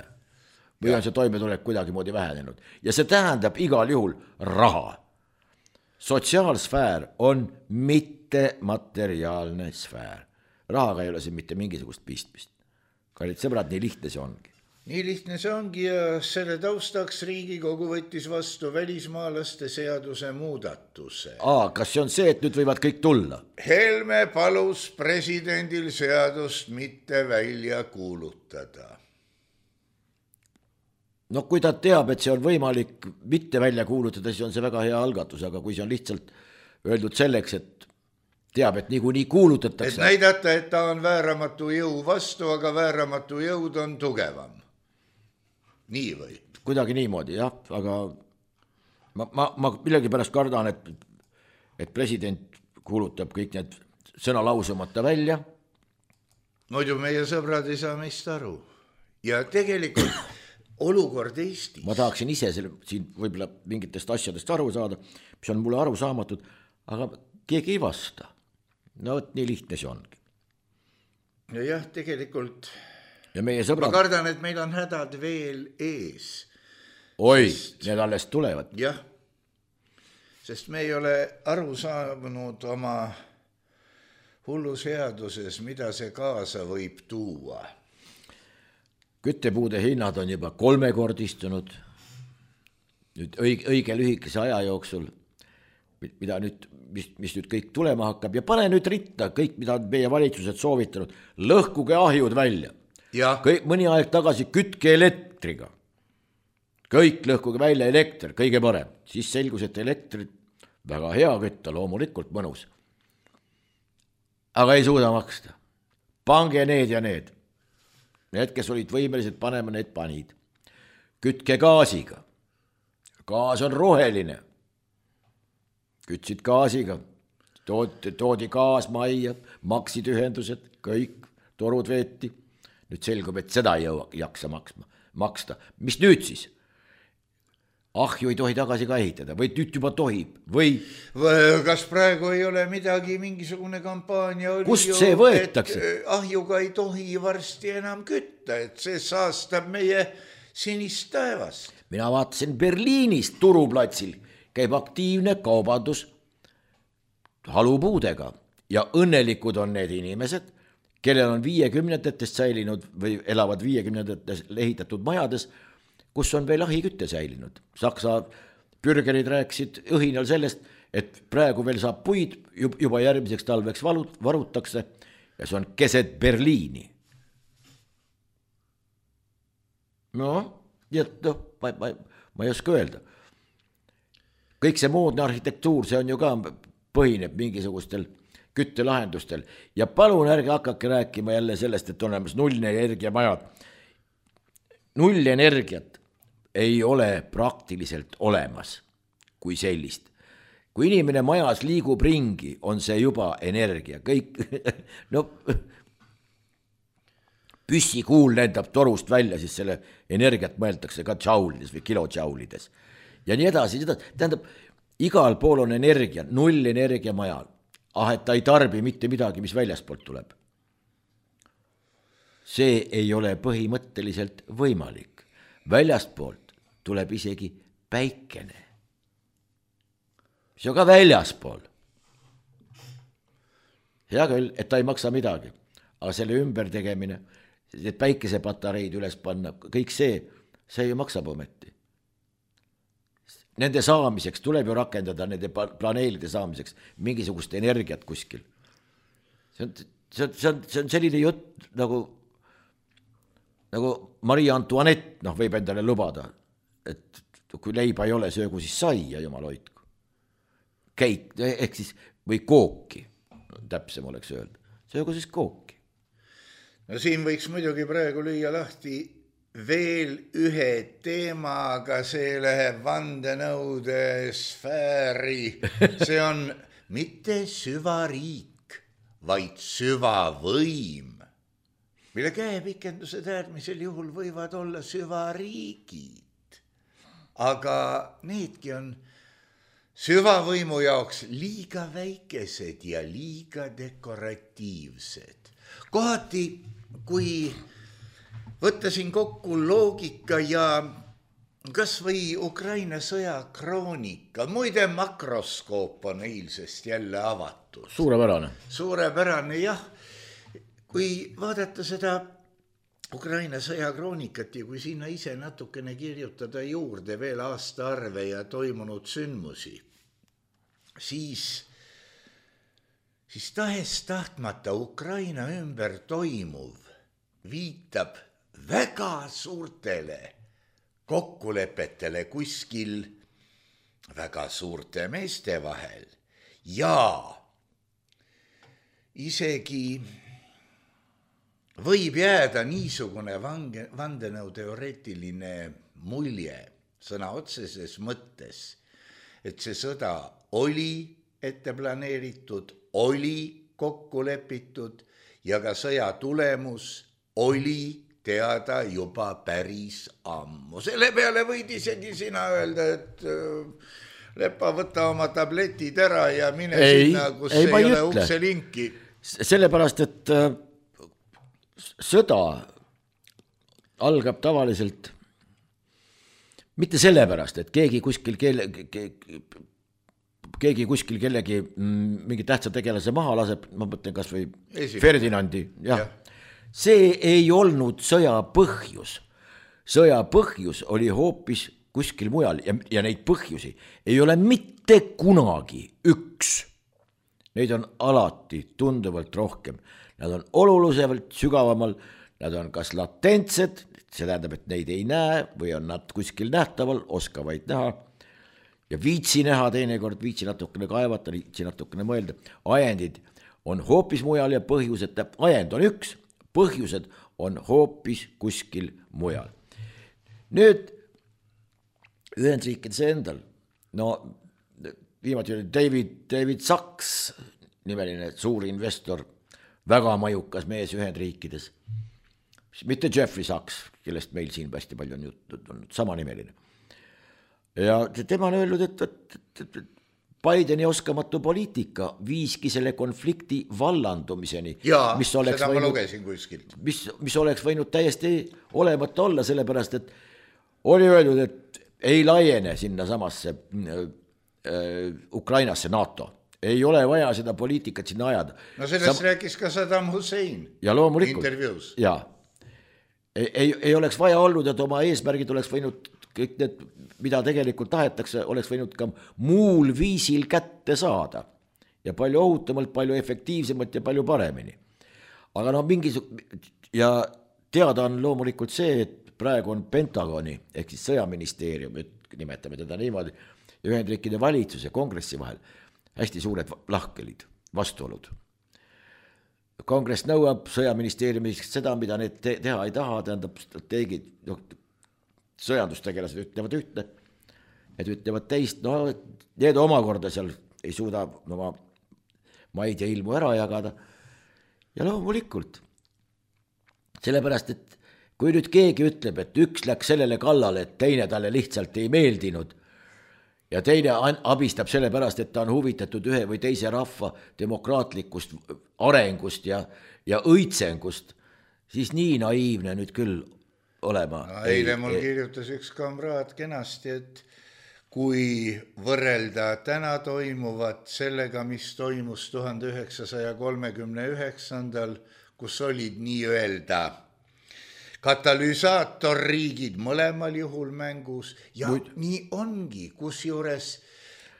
Või on see toimetulek kuidagi moodi vähenenud. Ja see tähendab igal juhul raha. Sotsiaalsfäär on mittemateriaalne sfäär. Rahaga ei ole siin mitte mingisugust pistmist. Kallid sõbrad, nii lihtne see ongi. Nii lihtne see ongi ja selle taustaks Riigikogu võttis vastu välismaalaste seaduse muudatuse. Kas see on see, et nüüd võivad kõik tulla? Helme palus presidendil seadust mitte välja kuulutada. No kui ta teab, et see on võimalik mitte välja kuulutada, siis on see väga hea algatus, aga kui see on lihtsalt öeldud selleks, et teab, et niikuinii kuulutatakse. Et näidata, et ta on vääramatu jõu vastu, aga vääramatu jõud on tugevam. Nii või? Kuidagi niimoodi, jah, aga ma millegipärast kardan, et president kuulutab kõik need sõna lausumata välja. Muidu meie sõbrad ei saa meist aru. Ja tegelikult olukord Eestis. Ma tahaksin ise siin võib-olla mingitest asjadest aru saada, mis on mulle aru saamatud, aga keegi ei vasta. No nii lihtne see ongi. Ja jah, tegelikult ja meie sõbrad... ma kardan, et meil on hädad veel ees. Oi, need alles tulevad. Jah, sest me ei ole aru saanud oma hulluseaduses, mida see kaasa võib tuua. Küttepuude hinnad on juba 3-kordistunud nüüd õige lühikese aja jooksul, mida nüüd, mis nüüd kõik tulema hakkab ja pane nüüd ritta kõik, mida meie valitsused soovitanud, lõhkuge ahjud välja. Mõni aeg tagasi kütke elektriga. Kõik lõhkuge välja elekter, kõige parem. Siis selgus, et elektrit väga hea kütta, loomulikult mõnus. Aga ei suuda maksta. Pange need ja need. Need, kes olid võimelised panema, need panid. Kütke gaasiga. Gaas on roheline. Kütsid gaasiga. Toodi gaas majja, maksid ühendused, kõik torud veeti. Nüüd selgub, et seda ei jaksa maksta. Mis nüüd siis? Ahju ei tohi tagasi ka ehitada või nüüd juba tohib või... Kas praegu ei ole midagi, mingisugune kampaania oli kust see võetakse? Ahjuga ei tohi varsti enam kütta, et see saastab meie sinist taevast. Mina vaatasin Berliinis turuplatsil käib aktiivne kaubandus halupuudega ja õnnelikud on need inimesed, kellel on 50-ndatest säilinud või elavad 50-ndatest ehitatud majades, kus on veel ahikütte säilinud. Saksa bürgerid rääkisid õhinal sellest, et praegu veel saab puid, juba järgmiseks talveks varutakse ja see on keset Berliini. Ma ei oska öelda. Kõik see moodne arhitektuur, see on ju ka põhineb mingisugustel küttelahendustel ja palun ärge hakake rääkima jälle sellest, et on olemas nullenergiamajad. Nullenergiat ei ole praktiliselt olemas kui sellist. Kui inimene majas liigub ringi, on see juba energia. Kõik, püssikuul lendab torust välja, siis selle energiat mõeldakse ka džaulides või kilodžaulides. Ja nii edasi. Tähendab, igal pool on energia, nullenergia majal. Et ta ei tarbi mitte midagi, mis väljaspoolt tuleb. See ei ole põhimõtteliselt võimalik. Väljastpoolt tuleb isegi päikene. See on ka väljaspool. Hea küll, et ta ei maksa midagi, aga selle ümber tegemine, et päikesepatareid üles panna, kõik see ju maksab ometi. Nende saamiseks tuleb ju rakendada, nende planeelide saamiseks mingisugust energiat kuskil. See on selline jutt nagu Marie Antoinette võib endale lubada, et kui leiba ei ole, söögu siis saia, jumal hoidku. Käik, ehk siis, või kooki, täpsem oleks öelda. Söögu siis kooki. No siin võiks muidugi praegu lüüa lahti veel ühe teema, aga see läheb vandenõude sfääri. See on mitte süvariik, vaid süvavõim, mille käepikendused äärmisel juhul võivad olla süvariigid. Aga needki on süvavõimu jaoks liiga väikesed ja liiga dekoratiivsed. Kohati, kui võtta siin kokku loogika ja kas või Ukraina sõja kroonika, muide makroskoop on eilsest jälle avatud. Suurepärane, jah. Kui vaadata seda Ukraina sõja kroonikat ja kui sinna ise natukene kirjutada juurde veel aastaarve ja toimunud sündmusi, siis tahes-tahtmata Ukraina ümber toimuv viitab väga suurtele kokkulepetele kuskil väga suurte meeste vahel ja isegi võib jääda niisugune vandenõuteoreetiline mulje sõna otseses mõttes, et see sõda oli ette planeeritud, oli kokku lepitud ja ka sõja tulemus oli teada juba päris ammu. Selle peale võid isegi sina öelda, et Lepa, võta oma tabletid ära ja mine sinna, kus ei ole ukselinki. Sellepärast, et sõda algab tavaliselt mitte sellepärast, et keegi kuskil kellegi mingi tähtsa tegelase maha laseb, ma mõtlen kas või Ferdinandi, jah. See ei olnud sõja põhjus. Sõja põhjus oli hoopis kuskil mujal ja neid põhjusi ei ole mitte kunagi üks. Neid on alati tunduvalt rohkem. Nad on oluliselt sügavamal, nad on kas latentsed, see tähendab, et neid ei näe või on nad kuskil nähtaval, oskavaid näha ja viitsi näha teinekord, viitsi natukene kaevata, viitsi natukene mõelda. Ajendid on hoopis mujal ja põhjused, ajend on üks, põhjused on hoopis kuskil mujal. Nüüd Ühendriikides endal, no viimati oli David Sachs, nimeline suur investor, väga mõjukas mees Ühendriikides, mitte Jeffrey Sachs, kellest meil siin hästi palju on juttud, on sama nimeline. Ja tema on öelnud, et Bideni oskamatu poliitika viiski selle konflikti vallandumiseni. Jaa, seda ma lugesin kuskilt. Mis oleks võinud täiesti olemata olla, sellepärast, et oli öeldud, et ei laiene sinna samasse Ukrainasse NATO. Ei ole vaja seda poliitikat sinna ajada. No sellest rääkis ka Saddam Hussein ja loomulikult, intervjuus. Ja. Ei oleks vaja olnud, et oma eesmärgid oleks võinud, kõik need, mida tegelikult tahetakse, oleks võinud ka muul viisil kätte saada. Ja palju ohutamalt, palju efektiivsemalt ja palju paremini. Aga ja teada on loomulikult see, et praegu on Pentagoni, ehk siis sõjaministeerium, nimetame teda niimoodi, Ühendriikide valitsus ja kongressi vahel hästi suured lahkelid, vastuolud. Kongress nõuab sõjaministeeriumist seda, mida need teha ei taha, tähendab strateegid, sõjandustegelased ütlevad ühte, need ütlevad teist, no need omakorda seal ei suuda oma maid ja ilmu ära jagada. Ja loomulikult, sellepärast, et kui nüüd keegi ütleb, et üks läks sellele kallale, et teine talle lihtsalt ei meeldinud, ja teine abistab selle pärast, et ta on huvitatud ühe või teise rahva demokraatlikust arengust ja õitsengust, siis nii naiivne nüüd küll olema. No, eile mul kirjutas üks kamraad kenasti, et kui võrrelda täna toimuvat sellega, mis toimus 1939, kus olid nii-öelda katalüsaatorriigid mõlemal juhul mängus ja nii ongi, kusjuures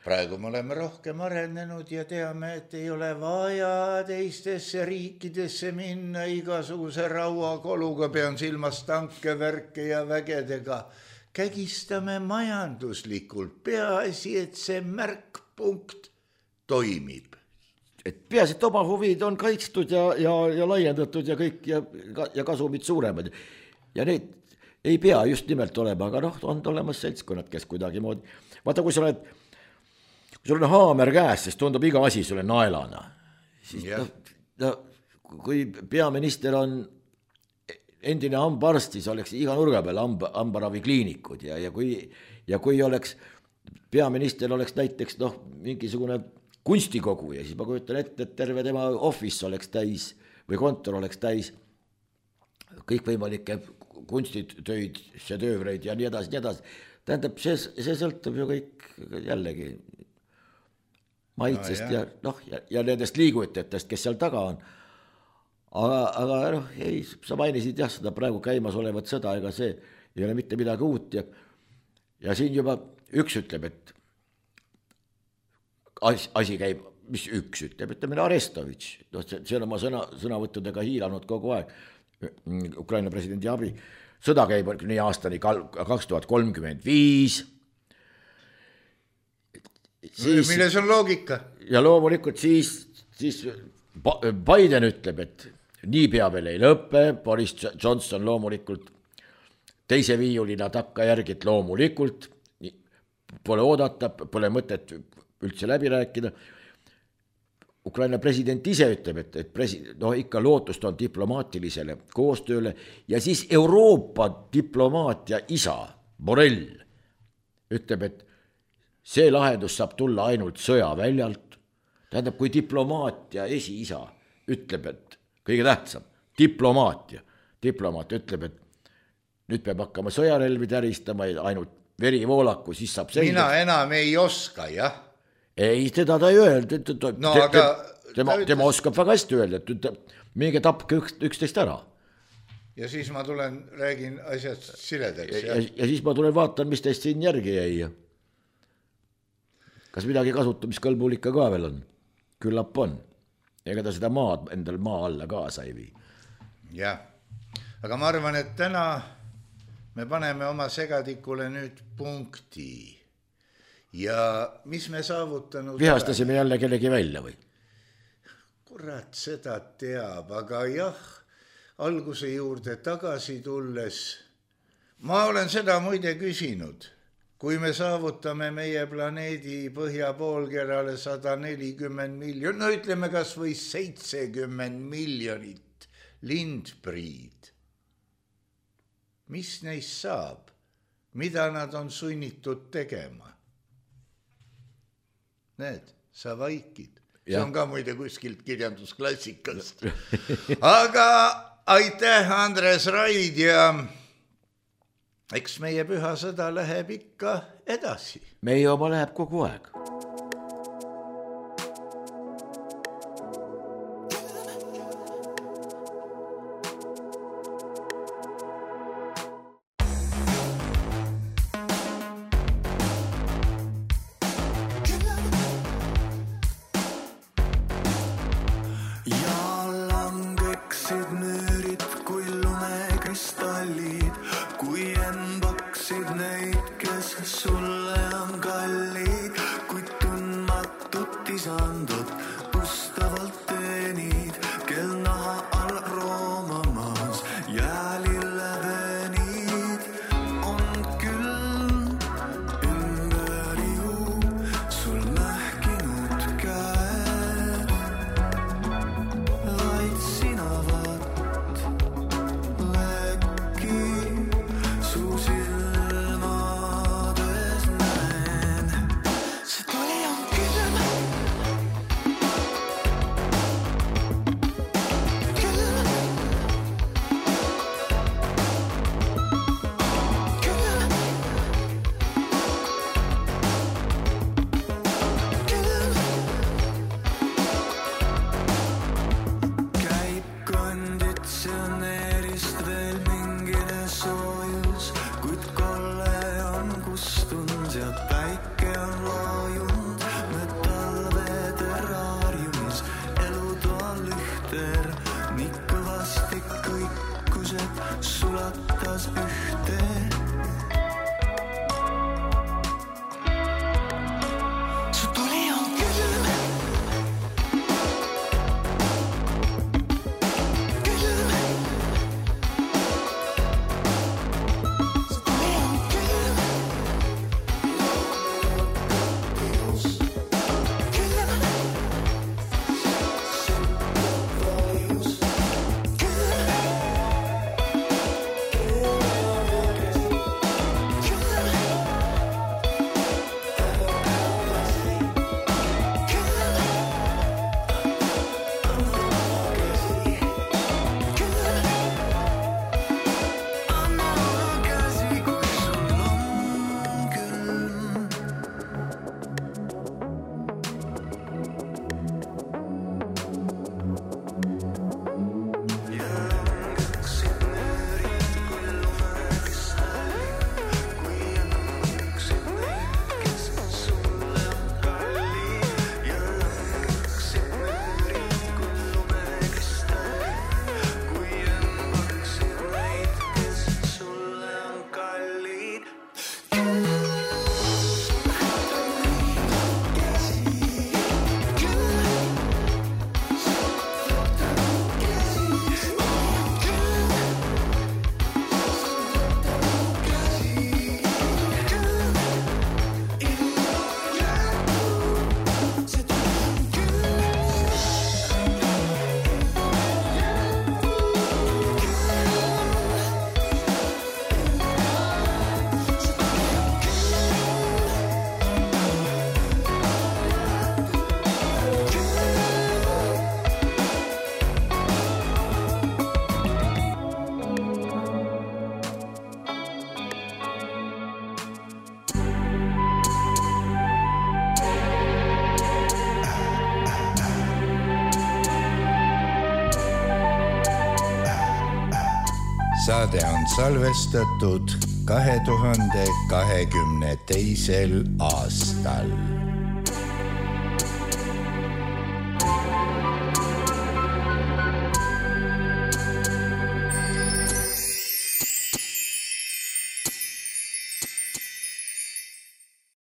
praegu me oleme rohkem arenenud ja teame, et ei ole vaja teistesse riikidesse minna igasuguse rauakoluga, pean silmas tanke, värke ja vägedega. Kägistame majanduslikult, peaasi, et see märkpunkt toimib. Et peaasi, et oma huvid on kaitstud ja laiendatud ja kõik ja kasumid suuremad. Ja need ei pea just nimelt olema, aga on olemas seltskonnad, kes kuidagi moodi. Vaata, kui sul on haamer käes, siis tundub iga asi sulle naelana. Siis kui peaminister on endine hambaarst, siis oleks iga nurga peal hambaravikliinikud ja kui oleks peaminister oleks näiteks mingisugune kunstikogu ja siis ma kujutan ette, et terve tema office oleks täis või kontor oleks täis kõikvõimalikke kunstitöid, šedöövreid ja nii edasi. Tähendab, see sõltub ju kõik jällegi maitsest ja nendest liigutajatest, kes seal taga on. Aga ei, sa mainisid seda praegu käimas olevat sõda, ega see ei ole mitte midagi uut ja siin juba üks ütleb, et asi käib, mis üks ütleb, ütleme Arestovitš, see on oma sõnavõttudega hiilanud kogu aeg, Ukraina presidendi abi, sõda käib nii aastani 2035. Milles on loogika? Ja loomulikult siis Biden ütleb, et niipea veel ei lõppe, Boris Johnson loomulikult teise viiulina takkajärgid loomulikult, pole oodata, pole mõtet üldse läbi rääkida. Ukraina president ise ütleb, et ikka lootust on diplomaatilisele koostööle ja siis Euroopa diplomaatia isa, Borrell, ütleb, et see lahendus saab tulla ainult sõjaväljalt. Tähendab, kui diplomaatia esiisa ütleb, et kõige tähtsam, diplomaat ütleb, et nüüd peab hakkama sõjarelvi täristama ja ainult verivoolaku, siis saab selgeks. Mina enam ei oska, jah. Ei, teda ta ei öelnud. Tema oskab väga hästi öelda, et minge tapke üksteist ära. Ja siis ma tulen, räägin asjad siledaks. Ja siis ma tulen vaatan, mis teist siin järgi jäi. Kas midagi kasutamiskõlbulikka ka veel on? Küllap on. Ega ta seda maad endal maa alla kaasa ei vii. Jah, aga ma arvan, et täna me paneme oma segadikule nüüd punkti. Ja mis me saavutanud... Vihastasime jälle kellegi välja või? Kurat, seda teab, aga jah, alguse juurde tagasi tulles. Ma olen seda muide küsinud. Kui me saavutame meie planeedi põhjapoolkerale 140 miljonit, no ütleme kas või 70 miljonit lindpriid. Mis neist saab? Mida nad on sunnitud tegema? Need, sa vaikid. See on ka muide kuskilt kirjandusklassikast. Aga aitäh, Andres Raid ja eks meie püha sõda läheb ikka edasi. Meie oma läheb kogu aeg. saade on salvestatud 2022. aastal.